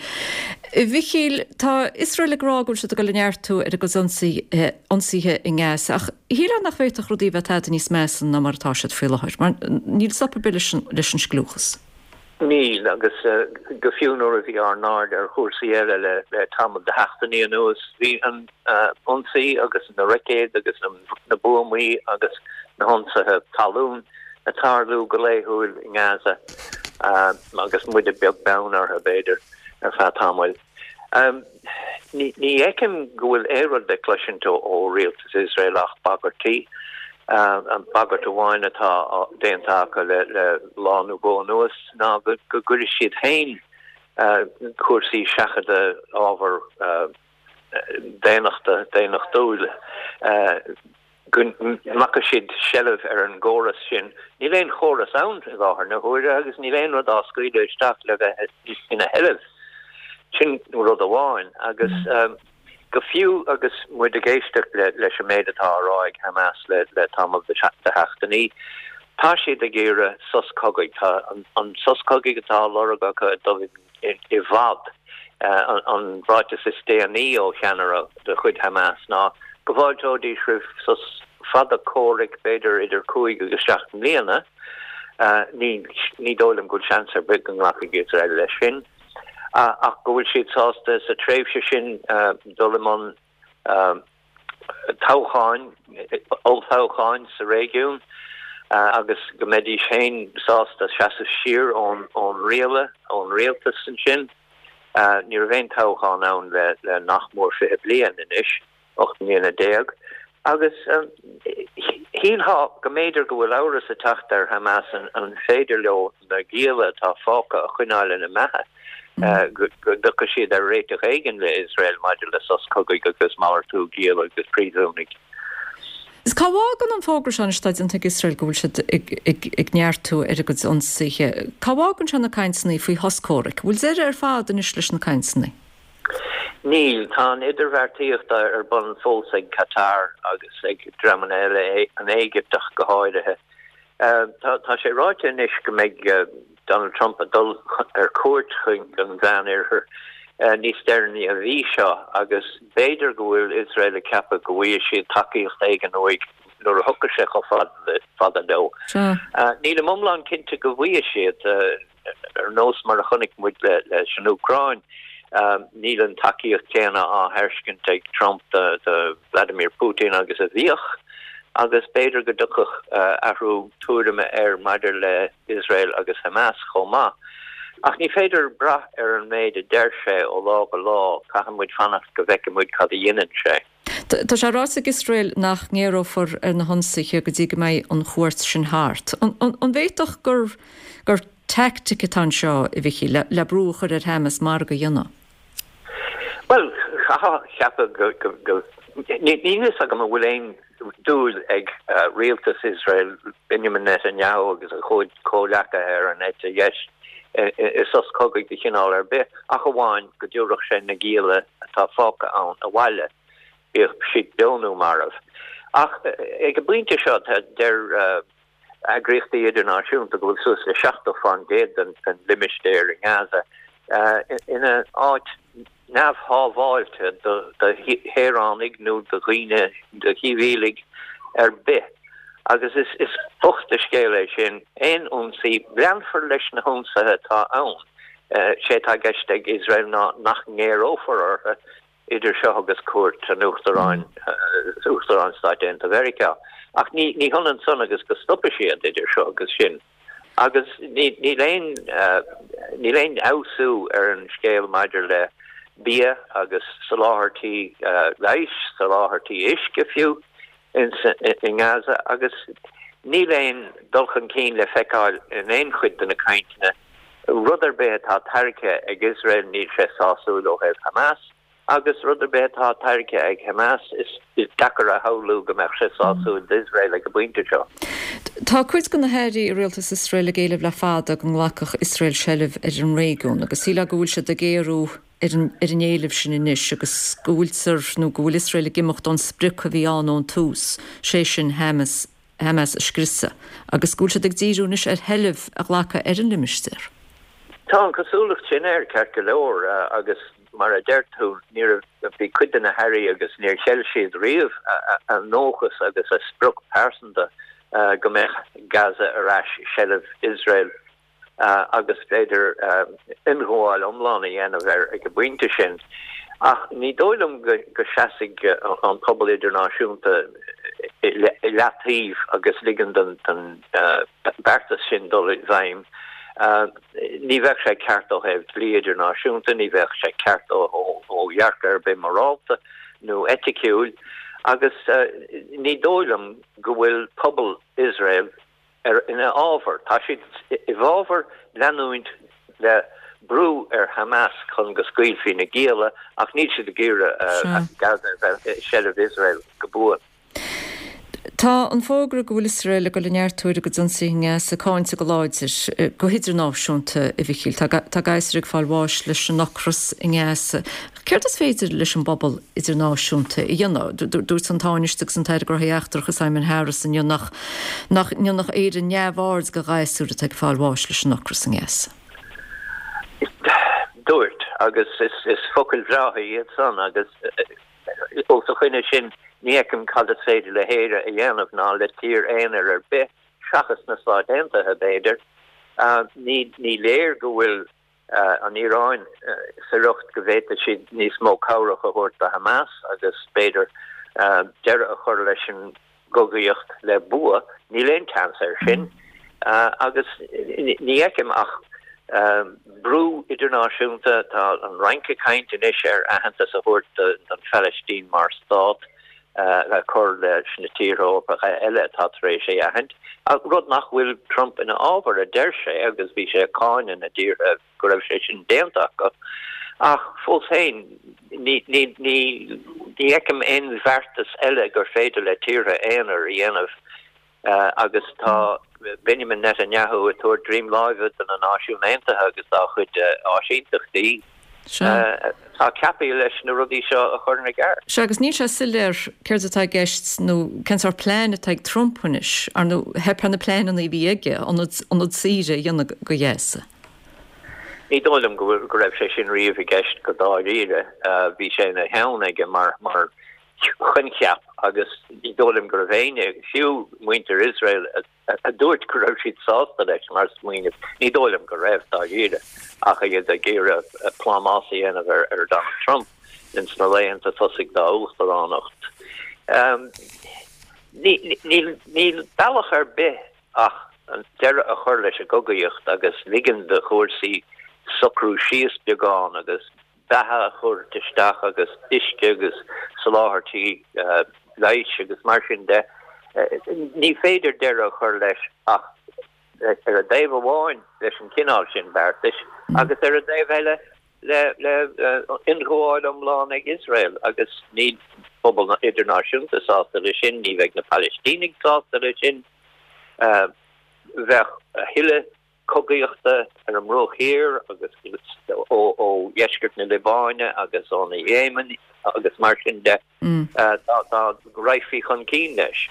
A Mhichíl, tá Iosrael ag rá go bhfuil siad ag dul a neartú ar a gcuid ionsaithe i nGaza, ach shílfeá nach bhféadfadh rudaí a bheith tada níos measa ná mar atá siad faoi láthair, mar níl stop ar bith leis an scliúchas. Níl, agus go fiú nuair a bhí ár n-aird ar chúrsaí eile le tamall de sheachtainí anuas, bhí an ionsaí agus na roicéid agus na buamaí agus na hionsaithe talún ag tarlú go laethúil i nGaza agus muide beag beann orthu, b'fhéidir, ar feadh tamaill. Ní fheicim go bhfuil aon rud le cloisint ó rialtas Iosrael ach bagairtí. An bagairt amháin atá déanta acu le lá nó dhó anuas ná go gcuirfidh siad féin cúrsaí seachadta ábhar daonnachta, daonnachtúil, go nglacfaidh siad seilbh ar an gcóras sin. Níl aon chóras ann i láthair na huaire agus níl aon rud á scaoileadh isteach le bheith ina sheilbh. Sin rud amháin. Agus go fiú agus muid ag éisteacht leis an méid atá á rá ag Hamas le tamall de sheachtainí, tá siad ag iarraidh sos cogaidh. Tá an sos cogaidh atá á lorg acu ag dul i bhfad. An ráiteas is déanaí ó cheannaire de chuid Hamas ná go bhfáilteoidís roimh sos fada comhraic, b'fhéidir idir chúig agus seacht mbliana. Ní dóigh liom go bhfuil seans ar bith go nglacfaidh Iosrael leis sin, ach go bhfuil siad sásta sa tréimhse sin dul i mbun toghcháin, olltoghcháin sa réigiún agus go mbeidís féin sásta seasamh siar ón riail, ón rialtas ansin. Ní raibh aon toghchán ann le nach mór 20 bliain anois, 18 mbliana. Agus shílfeá go mb'fhéidir go bhfuil amhras ag teacht ar Hamas an féidir leo na gialla atá fágtha a choinneáil ina mbeatha. Go dtiocfaidh siad ar réiteach éigin le Iosrael maidir le sos cogaidh agus malartú giall agus príosúnaigh. Is cá bhfágann an fógra seo anois atá déanta ag Iosrael go bhfuil siad ag neartú ar a gcuid ionsaithe, cá bhfágann sé na cainteanna faoi shos comhraic? Bhfuil deireadh ar fad anois leis na cainteanna? Níl. Tá an idirbheartaíocht ar bun fós ag Qatar agus ag dreamanna eile, an Éigipt ach go háirithe. Tá sé ráite anois go mbeidh Donald Trump ag dul ar cuairt chuig an Mheánoirthear níos deireanaí an mhí seo agus b'fhéidir go bhfuil Iosrael ag ceapadh go bhfaighidh siad tacaíocht éigin uaidh nuair a thiocfaidh sé chomh fada leo. Nílim iomlán cinnte go bhfaighidh siad. Ar nós mar a chonaic muid leis an Úcráin, níl an tacaíocht chéanna á thairscint ag Trump do Vladimir Putin agus a bhíodh, agus b'fhéidir go dtiocfadh athrú tuairime air maidir le Iosrael agus Hamas chomh maith. Ach ní féidir brath ar an méid a deir sé ó lá go lá, caithfidh muid fanacht go bhfeicfidh muid cad a dhéanann sé. Tá sé ráite ag Iosrael nach ngéarófar ar na hionsaithe go dtí go mbeidh an chuairt sin thart. An bhféadfadh gur gur teaictic atá anseo, a Mhichíl, le brú a chur ar Hamas margadh a dhéanamh? Bhuel, chaithfeá a cheapadh go, go, níl fhios agam an bhfuil aon dúil ag rialtas Iosrael, Benjamin Netanyahu agus a chuid comhleacaithe ar an eite dheis i sos cogaidh de chineál ar bith, ach amháin go dtabharfadh sé na gialla atá fágtha ann abhaile, bíodh siad beo nó marbh. Ach ag an bpointe seo, deir eagraíochtaí idirnáisiúnta go bhfuil suas le 70% den limistéar i nGaza ina áit neamhshábháilte do shaoránaigh nó do dhaoine, do shibhialaigh ar bith. Agus is bocht an scéal é sin. Aon ionsaí, leanfar leis na hionsaithe atá ann. Sé atá i gceist ag Iosrael ná nach ngéarófar orthu idir seo agus cuairt an Uachtaráin, Uachtarán Stáit Aontaithe Mheiriceá. Ach ní hionann san agus go stopfaidh siad idir seo agus sin. Agus níl aon, níl aon fheabhsú ar an scéal maidir le bia agus soláthairtí leighis, soláthairtí uisce fiú i nGaza agus níl aon dul chun cinn le feiceáil in aon chuid de na cainteanna. Rud ar bith atá tairgthe ag Iosrael níl sé sásúil ó thaobh Hamas agus rud ar bith atá tairgthe ag Hamas is deacair a shamhlú go mbeadh sé sásúil d'Iosrael ag an bpointe seo. Tá cuid de na hairí i rialtas Iosrael ag éileamh le fada go nglacfadh Iosrael seilbh ar an réigiún agus shílfeá go bhfuil siad ag géarú ar an ar an éileamh sin anois agus go bhfuiltear nó go bhfuil Iosrael ag imeacht ón sprioc a bhí ann ón tús, sé sin Hamas Hamas a scriosadh, agus go bhfuil siad ag díriú anois ar sheilbh a ghlacadh ar an limistéar. Tá an chosúlacht sin air, ceart go leor, agus mar a deir tú, ní raibh, bhí cuid de na hairí agus níor cheil siad riamh a ndóchas agus a sprioc pearsanta go mbeadh Gaza ar ais i seilbh Iosrael. agus b'fhéidir ionghabháil iomlán a dhéanamh air ag an bpointe sin. Ach ní dóigh liom go seasfaidh an pobal idirnáisiúnta i leataobh agus ligean don beartas sin dul i bhfeidhm. Ní bheadh sé ceart ó thaobh dlí idirnáisiúnta, ní bheadh sé ceart ó dhearcadh ar bith morálta nó eiticiúil agus ní dóigh liom go bhfuil pobal Iosrael ar ina fhábhar. Tá siad i bhfábhar leanúint le brú ar Hamas chun go scaoilfí na gialla ach níl siad ag iarraidh Gaza a bheith i seilbh Iosrael go buan. Tá an fógra go bhfuil Iosrael ag dul a neartú ar a gcuid ionsaithe i nGaza cáinte go láidir go hidirnáisiúnta, a Mhichíl. Tá gasúir ag fáil bháis leis an ocras i nGaza. Céard is féidir leis an bpobal idirnáisiúnta a dhéanamh? Dúirt an Tánaiste agus an tAire Gnóthaí Eachtracha Simon Harris inniu nach nach ndéanfadh Éire neamhaird de ghasúir atá ag fáil bháis leis an ocras i nGaza. Dúirt, agus is focail bhreátha iad san, agus os a choinne sin ní fheicim cad is féidir le hÉire a dhéanamh ná le tír aonair ar bith, seachas na Stáit Aontaithe, b'fhéidir. Ní léir go bhfuil an Iaráin sa riocht go bhféadfadh siad níos mó cabhrach a thabhairt do Hamas agus b'fhéidir deireadh a chur leis an gcogaíocht le bua. Níl aon tseans air sin agus ní fheicim ach brú idirnáisiúnta. Tá an Fhrainc ag caint anois ar aitheantas a thabhairt don Phalaistín mar stát. A chur leis na tíortha Eorpacha eile atá tar éis é a aithint, rud nach bhfuil Trump ina fhábhar, a deir sé, agus bhí sé ag cáineadh na dtíortha go raibh sé sin déanta acu. Ach fós féin, ní fheicim aon bheartas eile gur féidir le tíortha aonair a dhéanamh Agus tá Benjamin Netanyahu ag tabhairt droim láimhe do na Náisiúin Aontaithe agus dá chuid áisínteachtaí atá ceaptha leis na rudaí seo a chur ina gceart. Sea, agus níl sé soiléir céard atá i gceist nó cén sórt plean atá ag Trump anois. Ar ndóigh, theip ar na pleananna a bhí aige, ionad saoire a dhéanamh de Ghaza. Ní dóigh liom go raibh sé sin riamh i gceist go dáiríre. Bhí sé ina cheann aige mar choincheap agus ní dóigh liom go raibh éinne, fiú muintir Iosrael, a dúirt go raibh siad sásta leis mar smaoineamh. Ní dóigh liom go raibh, dáiríre, ach iad ag iarraidh plámás a dhéanamh ar Donald Trump ins na laethanta tosaigh dá uachtaránacht. Níl bealach ar bith ach deireadh a chur leis an gcogaíocht agus ligean do chúrsaí socrú síos beagán agus beatha a thabhairt isteach agus uisce agus soláthairtí leighis agus mar sin de. Ní féidir deireadh a chur leis ach ar an dtaobh amháin leis an chineál sin beartais agus ar an dtaobh eile le ionghabháil iomlán ag Iosrael agus níl pobal idirnáisiúnta sásta leis sin, ní bheidh na Palaistínigh sásta leis sin. Bheadh a thuilleadh cogaíochta ar an mBruach Thiar agus ó dheisceart na Liobáine agus ón Éimin agus mar sin de dá raghfaí chun cinn leis.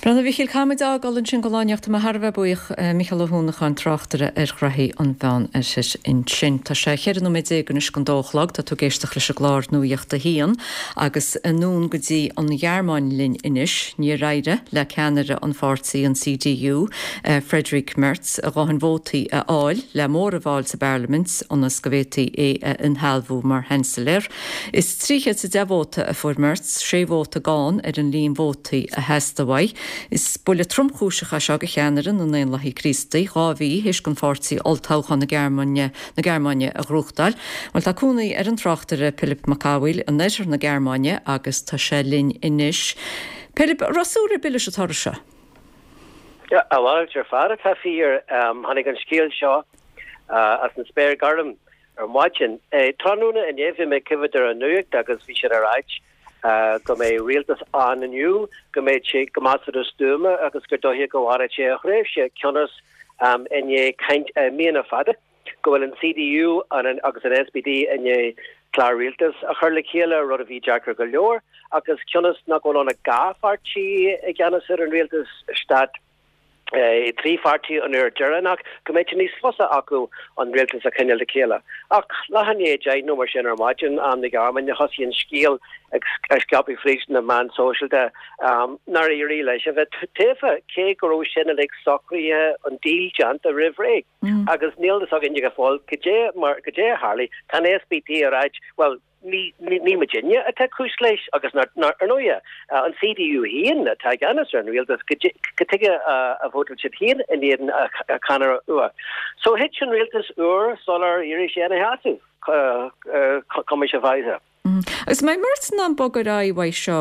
Bhuel, a Mhíchíl, caithfimid a fhágáil ansin don lá anocht. Tá mé thar a bheith buíoch, Mícheál Ó hUanacháin, tráchtaire ar ghraithí an Mheán Oirthir ansin. Tá sé 14 nóiméad anois don dó a chlog. Tá tú ag éisteacht leis an gclár Nuacht a hAon agus anonn go dtí an Ghearmáin linn anois. Níor éirigh le ceannaire an pháirtí, an CDU, Friedrich Merz, a dhóthain vótaí a fháil le móramh a fháil sa bparlaimint ionas go bhféadfaí é a inshealbhú mar Sheansailéir. Is 310 vóta a fuair Merz, sé vóta gann ar an líon vótaí a theastaigh uaidh. Is buille tromchúiseach é seo do cheannaire na nDaonlathaí Críostaí, 2 mhí théis don pháirtí olltoghchán na Gearmáine a ghnóthachtáil. Bhuel, tá cónaí ar an tráchtaire Pilib Mac Cathmhaoil in oirthear na Gearmáine agus tá sé linn anois. Pilib, an raibh súil ar bith leis an toradh seo? A mhalairt ar fad atá fíor. Tháinig an scéal seo as an spéir ghorm ar maidin. Tráthnóna inné bhí mé ag coimhéad ar an nuacht agus bhí siad ag ráit go mbeidh rialtas ann inniu, go mbeidh sé go measartha stuama agus gur dóiche go bhfanfaidh sé a thréimhse cionn is i ndiaidh caint míonna fada. go bhfuil an CDU agus an SPD i ndiaidh clár rialtais a chur le chéile, rud a bhí deacair go leor, agus cionn is nach bhfuil ann ach 2 pháirtí i gceannas ar an rialtas stát 3 pháirtí an uair deireanach, go mbeidh sé níos fusa acu an rialtas a choinneáil le chéile. Ach leath i ndiaidh 10 nó mar sin ar maidin, am na Gearmáine, thosaigh an scéal ag scaipeadh fríd na meáin sóisialta nár éirigh leis a bheith tofa, cé go raibh sin uilig socraithe, an deal déanta roimh ré. Agus níl fhios againne go fóill goidé mar, goidé a tharlaigh. Tá an SPD ag ráit, bhuel, ní, ní muidinne atá cúis leis agus nar, nar, ar ndóighe, an CDU féin atá i gceannas ar an rialtas, goidé, cad tuige a vótáil siad féin in éadan a cheannaire úr. So thit an rialtas úr sular éirigh sé ina sheasamh, cuma sé faighte. Agus an mbeidh Merz in ann bogadh ar aghaidh uaidh seo,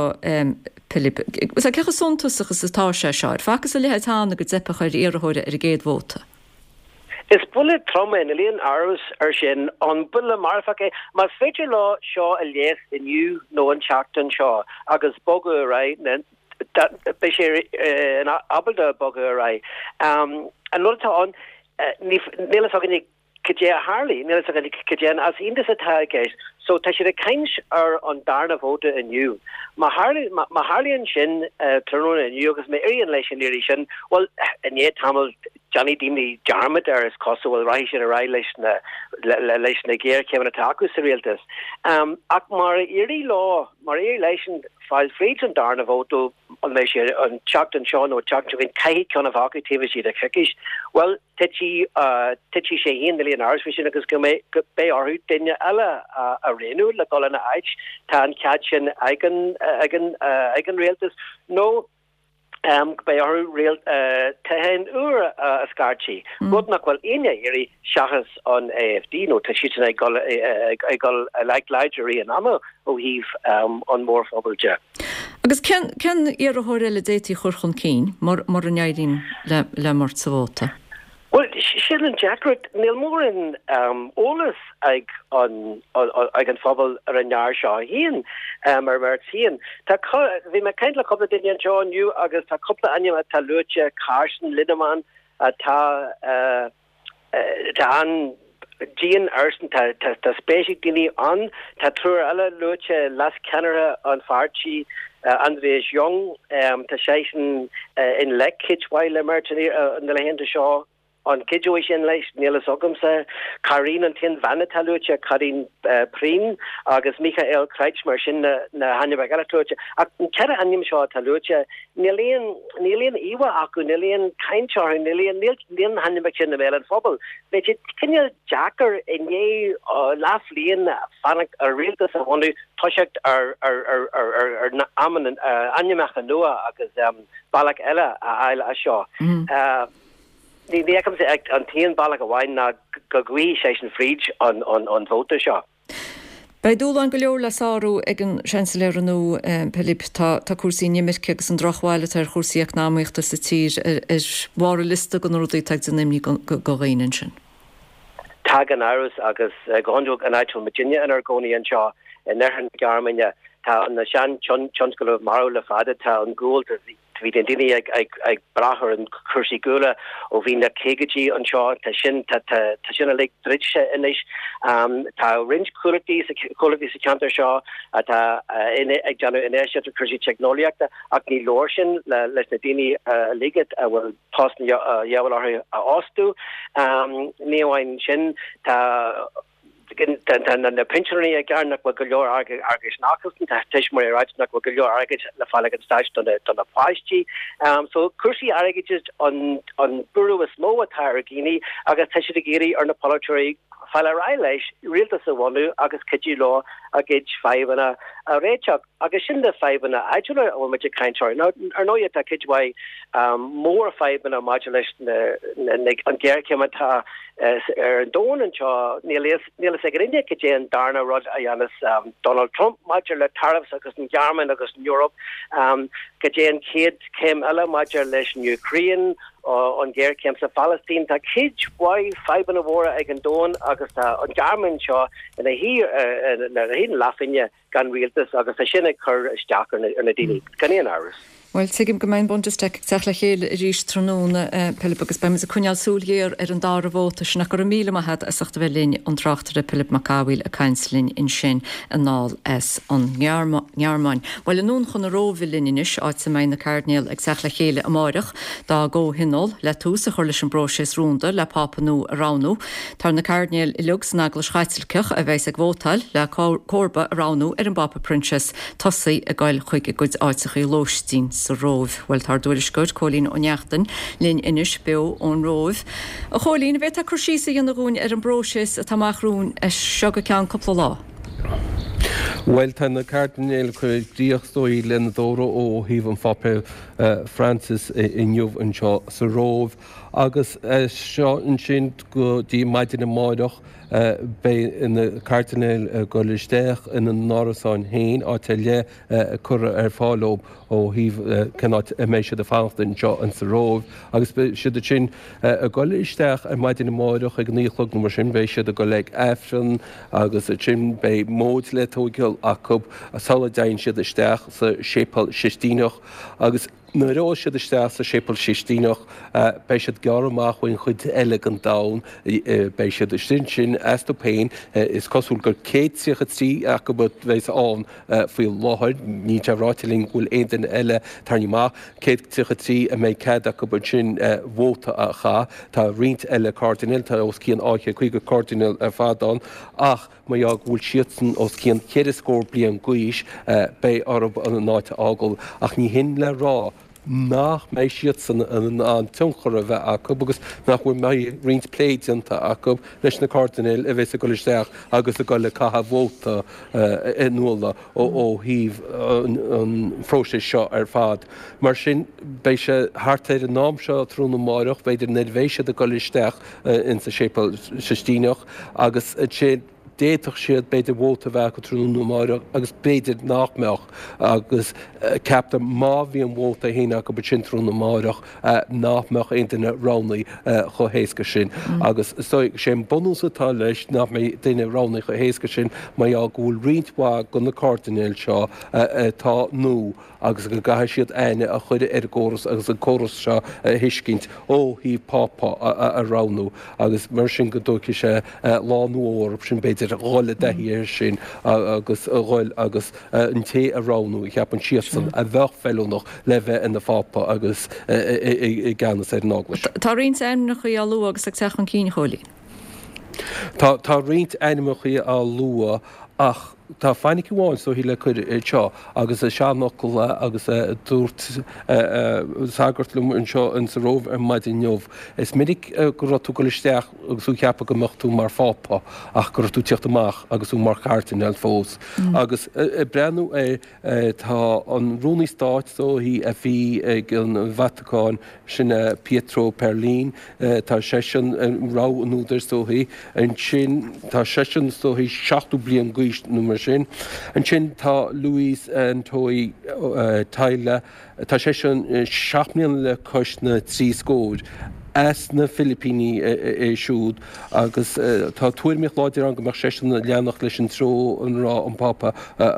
Pilib? Cé chomh suntasach is atá sé seo? Ar facthas a leithéid cheana go dteipfeadh ar iarrthóir ar an gcéad vóta? Is buille trom é, níl aon amhras air sin. An buille marfach é? Más féidir leo seo a leigheas inniu nó an tseachtain seo agus bogadh ar aghaidh, beidh sé ábalta bogadh ar aghaidh. An rud atá ann, níl fhios againne Cad é a tharlaigh? Níl fhios againn cad é an easaontas atá i gceist. So tá siad ag caint ar an darna vóta inniu. Má má tharlaíonn sin tráthnóna inniu agus má éiríonn leis an iarraidh sin, bhuel, i ndiaidh tamaill déanfaidh daoine dearmad air is cosúil, rachaidh siad ar aghaidh leis na leis na géarchéimeanna atá acu sa rialtas. Ach má éirigh leo, má éirigh leisean fáil fríd an darna vóta, an mbeidh sé an tseachtain seo nó an tseachtain seo chugainn, caithfidh ceann a bheith acu taobh istigh de choicís. Bhuel, titfidh titfidh sé féin, níl aon amhras faoi sin, agus go mbeidh go beidh orthu duine eile a roghnú le dul ina áit. Tá an cead sin ag an ag an ag an rialtas. Nó go beidh orthu rial toghchán úr a scairtigh, rud nach bhfuil éinne ag iarraidh seachas an AfD, nó tá siadsan ag dul ag dul i láidre i rith an ama ó thaobh an mhórphobail de. Agus cén cén iarrthóir eile a d'fhéadfaí a chur chun cinn mura n-éiríonn le le Merz sa vóta? Bhuel, sin an deacracht. Níl mórán eolas ag an ag an phobal ar an fhear seo féin, ar Merz féin. Tá, bhí mé ag caint le cúpla duine anseo inniu agus tá cúpla ainm atá luaite, Carsten Linnemann atá tá an-dian airsean, tá tá spéis ag daoine ann. Tá triúr eile luaite, leascheannaire an pháirtí, Andreas Jung, tá seisean i ngleic cuid mhaith le Merz na laethanta seo. An gcuideoidh sin leis? Níl fhios agamsa. Karin an t-aon bhean atá luaite, Karin Prien agus Michael Kretschmer, sin na hainmneacha eile atá luaite. Ach an 4 ainm seo atá luaite, níl aon, níl aon íomhá acu, níl aon chaint orthu, níl aon, níl, níl na hainmneacha sin i mbéal an phobail. Beidh sé cineál deacair i ndiaidh leathbhliain fanacht ar rialtas a bhunú toiseacht ar ainmneacha nua agus bealach eile a fháil as seo. Ní fheicimse ach an t-aon bealach amháin ná go gcuirfidh seisean fríd an vóta seo. Beidh dúshláin go leor le sárú ag an Seansailéara nua, Pilib. Tá cúrsaí inimirce agus an drochbhail atá ar chúrsaí eacnamaíochta sa tír ar bharr an liosta de na rudaí atá ag déanamh imní do dhaoine ansin. Tá gan amhras, agus go hiondúil an áit a bhfuil muidinne inár gcónaí anseo in oirthear na Gearmáine, tá na sean-tionscail marbh le fada, tá an gual, bhí na daoine ag brath ar an cúrsaí guala ó bhí na caogaidí anseo, tá sin, tá sin uilig druidte anois. Tá roinnt comhlachtaí comhlachtaí sa cheantar seo atá ag déanamh infheistíocht i cúrsaí teicneolaíochta ach ní leor sin leis na daoine uilig a bhfuil post a dhíobháil orthu a fhostú. Ní amháin sin, tá na pinsinéirí ag gearán nach bhfuil go leor airgid acusan, tá tuismitheoirí ag ráit nach bhfuil go leor airgid le fáil ag an stáit do na páistí. So cúrsaí airgid an buaireamh is mó atá ar dhaoine agus tá siad ag iarraidh ar na polaiteoirí fáil ar aghaidh leis, rialtas a bhunú agus cuidiú leo a gcuid fadhbanna a réiteach. Agus sin na fadhbanna áitiúla a bhfuil muid ag caint orthu. Now, ar ndóigh, tá cuid mhaith mór fadhbanna maidir leis an ghéarchéim atá ar an domhan anseo. Níl a fhios ag éinne cad é an darna rud a dhéanfas Donald Trump maidir le tariffs agus an Ghearmáin agus an Eoraip, cad é an chéad chéim eile maidir leis an Úcráin, an ghéarchéim sa Phalaistín. Tá cuid mhaith fadhbanna mhóra ag an domhan agus tá an Ghearmáin seo ina shuí ar thaobh na leathphingne. gan rialtas agus tá sin ag cur isteach ar na daoine, gan aon amhras. Bhuel, tuigim go mbeidh an Bundestag ag teacht le chéile arís tráthnóna, Pilib, agus beidh muid ag coinneáil súil ghéar ar an dara vóta sin. Ach go raibh míle maith agat as ucht a bheith linn, an tráchtaire Pilib Mac Cathmhaoil ag caint linn ansin anall as an nGearmáin. Bhuel, anonn chun na Róimhe linn anois, áit a mbeidh na cairdinéil ag teacht le chéile amáireach dá gcomhthionól le tús a chur leis an bpróiseas rúnda le Pápa nua a roghnú. Tá na cairdinéil uilig san Eaglais Chaitliceach a bheas ag vótáil le comharba a roghnú ar an bPápa Proinsias tosaithe ag goil chuig a gcuid áiteachaí lóistín sa Róimh. Bhuel, tá ár dtuairisceoir, Cóilín Ó Neachtain, linn anois beo ón Róimh. A Chóilín, an bhféadfá cur síos a dhéanamh dhúinn ar an bpróiseas atá amach romhainn as seo go ceann cúpla lá? Bhuel, tá na cairdinéil ag cur críoch is dóigh lena dtórramh ó thaobh an Pháipéil Francis inniu anseo sa Róimh. Agus as seo ansin go dtí maidin amáireach beidh na cairdinéil ag dul isteach ina n-árasáin féin, áit ar leith curtha ar fáil dóibh ó thaobh cén áit a mbeidh siad ag fanacht anseo insa Róimh. Agus beidh siad ansin ag dul isteach ar maidin amáireach ag a naoi a chlog nó mar sin, beidh siad ag dul ag Aifreann agus ansin beidh móid le tóigeáil acu sula dtéann siad isteach sa Séipéal Sistíneach agus Nuair a gheobhas siad isteach sa Séipéal Sistíneach, beidh siad gearrtha amach ón chuid eile den domhan. Beidh siad istigh ansin astu féin. Is cosúil gur 133 acu a bheas ann faoi láthair. Níl sé ráite linn go bhfuil aon duine eile tarraingthe amach. 133 a mbeidh cead acu ansin vóta a chaitheamh. Tá roinnt eile cairdinéil, tá os cionn 250 cairdinéal ar fad ann, ach, Mar gheall go bhfuil siadsan os cionn cheithre scór bliain d'aois, beidh orthu an áit a fhágáil. Ach ní hin le rá nach mbeidh siadsan in ann tionchar a bheith acu agus nach bhfuil mbeidh roinnt plé déanta acu leis na cairdinéil a bheas ag dul isteach agus ag dul ag caitheamh vóta inniúla ó thaobh an phróisis seo ar fad. Mar sin, beidh sé thart ar an am seo tráthnóna amáireach, b'fhéidir, nuair a bheidh siad ag dul isteach insa Séipéal Sistíneach agus ansin. D'fhéadfadh siad, b'fhéidir, vóta a bheith acu tráthnóna amáireach agus b'fhéidir nach mbeadh agus ceaptar má bhíonn vóta féin acu ansin tráthnóna amáireach nach mbeadh aon duine roghnaithe chomh héasca sin. Agus is dóigh, sé an bunús atá leis nach mbeidh duine roghnaithe chomh héasca sin mar gheall go bhfuil roinnt mhaith de na cairdinéil seo atá nua agus go gcaithfidh siad aithne a chur ar an gcóras agus an córas seo a thuiscint ó thaobh Pápa a roghnú agus mar sin go dtógfaidh sé lá nó dhó orthu sin b'fhéidir dhul i dtaithí air sin agus a dhul agus an té a roghnú a cheapann siadsan a bheadh feiliúnach le bheith ina Phápa agus i gceannas ar an Eaglais. Tá roinnt ainmneacha á lua agus ag teacht chun cinn, a Chóilín. Tá, tá roinnt ainmneacha á lua ach tá fainic amháin is dóichí le cur anseo agus is seanfhocal é agus dúirt sagart liom anseo in sa Róimh ar maidin inniu, is minic go raibh tú ag dul isteach agus tú ag ceapadh go mbeadh tú mar Phápa ach go raibh tú ag tíocht amach agus tú mar chairdinéal fós. Agus ag breathnú ar, tá an Rúnaí Stáit is dóichí a bhí ag an Vatacáin, Sin é Pietro Parolin. Tá seisean rogha an údair is dóichí. Ansin tá seisean is dóichí 70 bliain d'aois nó mar sin. Ansin tá Luis Antonio Tagle. Tá seisean 7 mbliana le cois na dtrí scóir. As na Filipíní é siúd agus tá tuairimíocht láidir ann go mbeadh seisean ag leanacht leis an treo ina raibh an Pápa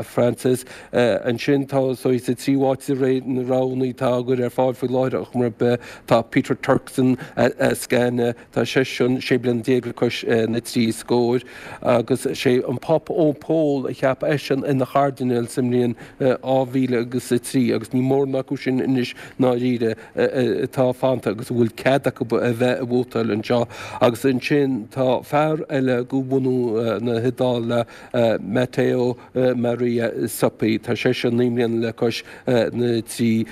Francis. Ansin tá sa tríú háit de réir na roghanna atá á gcur ar fáil faoi láthair ar chuma ar bith, tá Peter Turkson as Ghana, tá seisean 16 bliana le cois na dtrí scóir, agus sé an Pápa Eoin Pól a cheap eisean ina chairdinéal sa mbliain 2003 agus níl mórán acu sin anois ndáiríre atá fanta agus a bhfuil cead acu a bheith ag vótáil anseo. Agus ansin tá fear eile de bhunú na hIodáile, Matteo Maria Zuppi, tá seisean 9 mbliana le cois na dtrí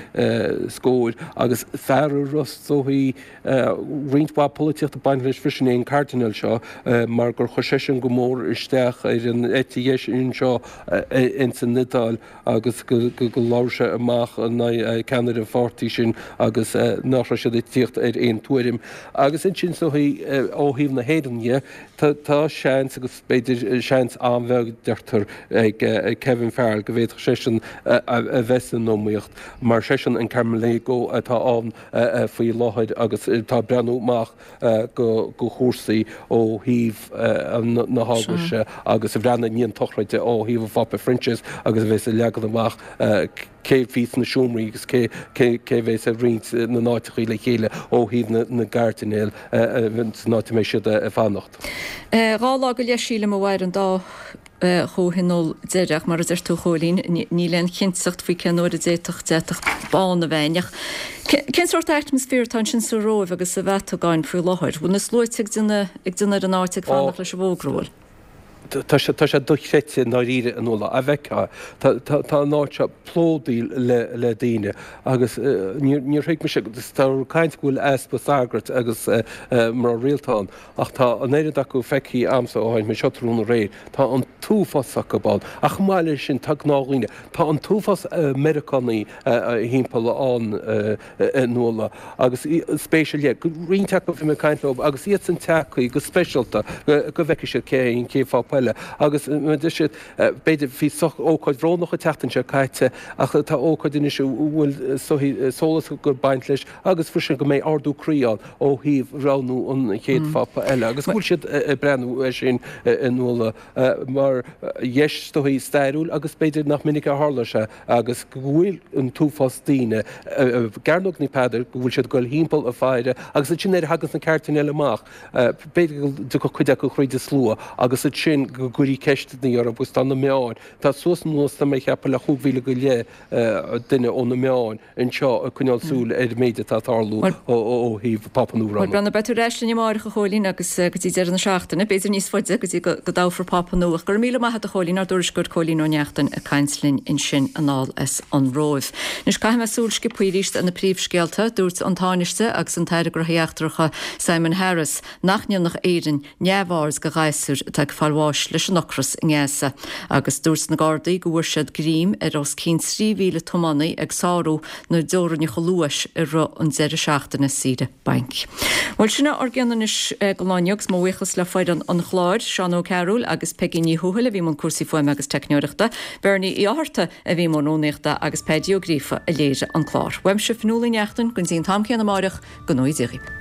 scóir agus fear a raibh is dóichí roinnt mhaith polaitíochta ag baint leis freisin é an Cairdinéal seo mar gur chuir seisean go mór isteach ar an eite dheis anseo ins an Iodáil agus go labhair sé amach in aghaidh ceannaire an pháirtí sin agus nach raibh siad ag tíocht ar aon tuairim. Agus ansin is dóichí ó thaobh na hÉireann dhe tá seans agus B'fhéidir, seans an-bheag, deirtear, ag Kevin Farrell go bhféadfadh seisean a bheith san iomaíocht mar seisean an Camerlengo atá ann faoi láthair agus atá ag breathnú amach go chúrsaí ó thaobh na hEaglaise agus ag breathnú i ndiaidh an tsochraide ó thaobh an Phápa Phroinsias agus a bheas ag leagan amach cé a bhí sna seomraí agus cé a bheas ag roinnt na n-áiteachaí le chéile ó thaobh na gcairdinéal san áit a mbeidh siad ag fanacht. 2 lá go leith sílim a mhair an dá chomhthionól deiridh ach mar a deir tú a Chóilín, níl aon chinnteacht faoi cén uair a d'fhéadfadh deatach bán a bheith ann. Ach cén sórt atmaisféar atá ansin sa Róimh agus sa Vatacáin faoi láthair? Bhfuil na sluaite ag déanamh ar an áit ag fanacht leis an bhfógra, bhfuil? Tá sé, tá sé dochreidte i ndáiríre a Nuala, a bhfeicfeá. Tá, tá, tá an áit seo plódaithe le, le daoine agus níor, níor thuig mise, tá caint go bhfuil easpa sagart agus mná rialta ann ach tá an oiread acu feicthe a'msa ó tháinig mé anseo tráthnóna aréir. Tá an t-uafás acu ann ach chomh maith leis sin tá gnáthdhaoine. Tá an t-uafás Meiriceánaí thimpeall ann a Nuala agus spéis ar leith, roinnt acu bhí mé ag caint leo agus iadsan tagtha go speisialta go bhfeicfidh siad cé hé an chéad Phápa eile agus deir siad b'fhéidir bhí ócáid bhrónach an tseachtain seo caite ach tá ócáid anois a bhfuil sólás ag baint leis agus freisin go mbeidh ardú croí ann ó thaobh roghnú an chéad Phápa eile agus go bhfuil siad ag breathnú air sin a Nuala mar dheis is dóichí stairiúil agus b'fhéidir nach minic a tharla sé agus go bhfuil an t-uafás daoine i gCearnóg Naomh Peadar, go bhfuil siad ag dul thimpeall ag faire agus ansin nuair a thaganns na cairdinéil amach, b'fhéidir go dtiocfadh cuid acu thríd an slua agus ansin go gcuirfí ceisteanna orthu agus tá na meáin, tá suas anuas tá mé ag ceapadh le chúig mhíle go leith duine ó na meáin. anseo ag coinneáil súil ar an méid atá ag tarlú ó thaobh Pápa nua a roghnú. Bhuel, beidh tú ar ais linn amárach, a Chóilín, agus go dtí deireadh na seachtaine, b'fhéidir níos faide, go dtí go dtoghfar Pápa nua. Ach go raibh míle maith agat, a Chóilín, ár dtuairisceoir Cóilín Ó Neachtain ag caint linn ansin anall as an Róimh. Anois, caithfidh mé súil sciobtha arís ar na príomhscéalta. Dúirt an Tánaiste agus an tAire Gnóthaí Eachtracha Simon Harris nach ndéanfadh Éirinn neamhaird de ghasúir atá ag fáil bháis. leis leis an ocras i nGaza agus dúirt na Gardaí go bhfuair siad greim ar os cionn 3,000 tiománaí ag sárú na dteorainneacha luais i rith an deireadh seachtaine saoire bainc. Bhuel, sin é ár gcion anois don lá inniu agus mo bhuíochas le foireann an chláir, Seán Ó Cearúil agus Peigí Ní Thuathail a bhí i mbun cúrsaí fuaime agus teicneoireachta, Bernie Uí Fhátharta a bhí i mbun rúnaíochta agus Peaidí Ó Gríofa a léirigh an clár. Uaimse, Fionnuala Ní Neachtain, go dtí an t-am céanna amáireach, go ngnóthaí Dia dhaoibh.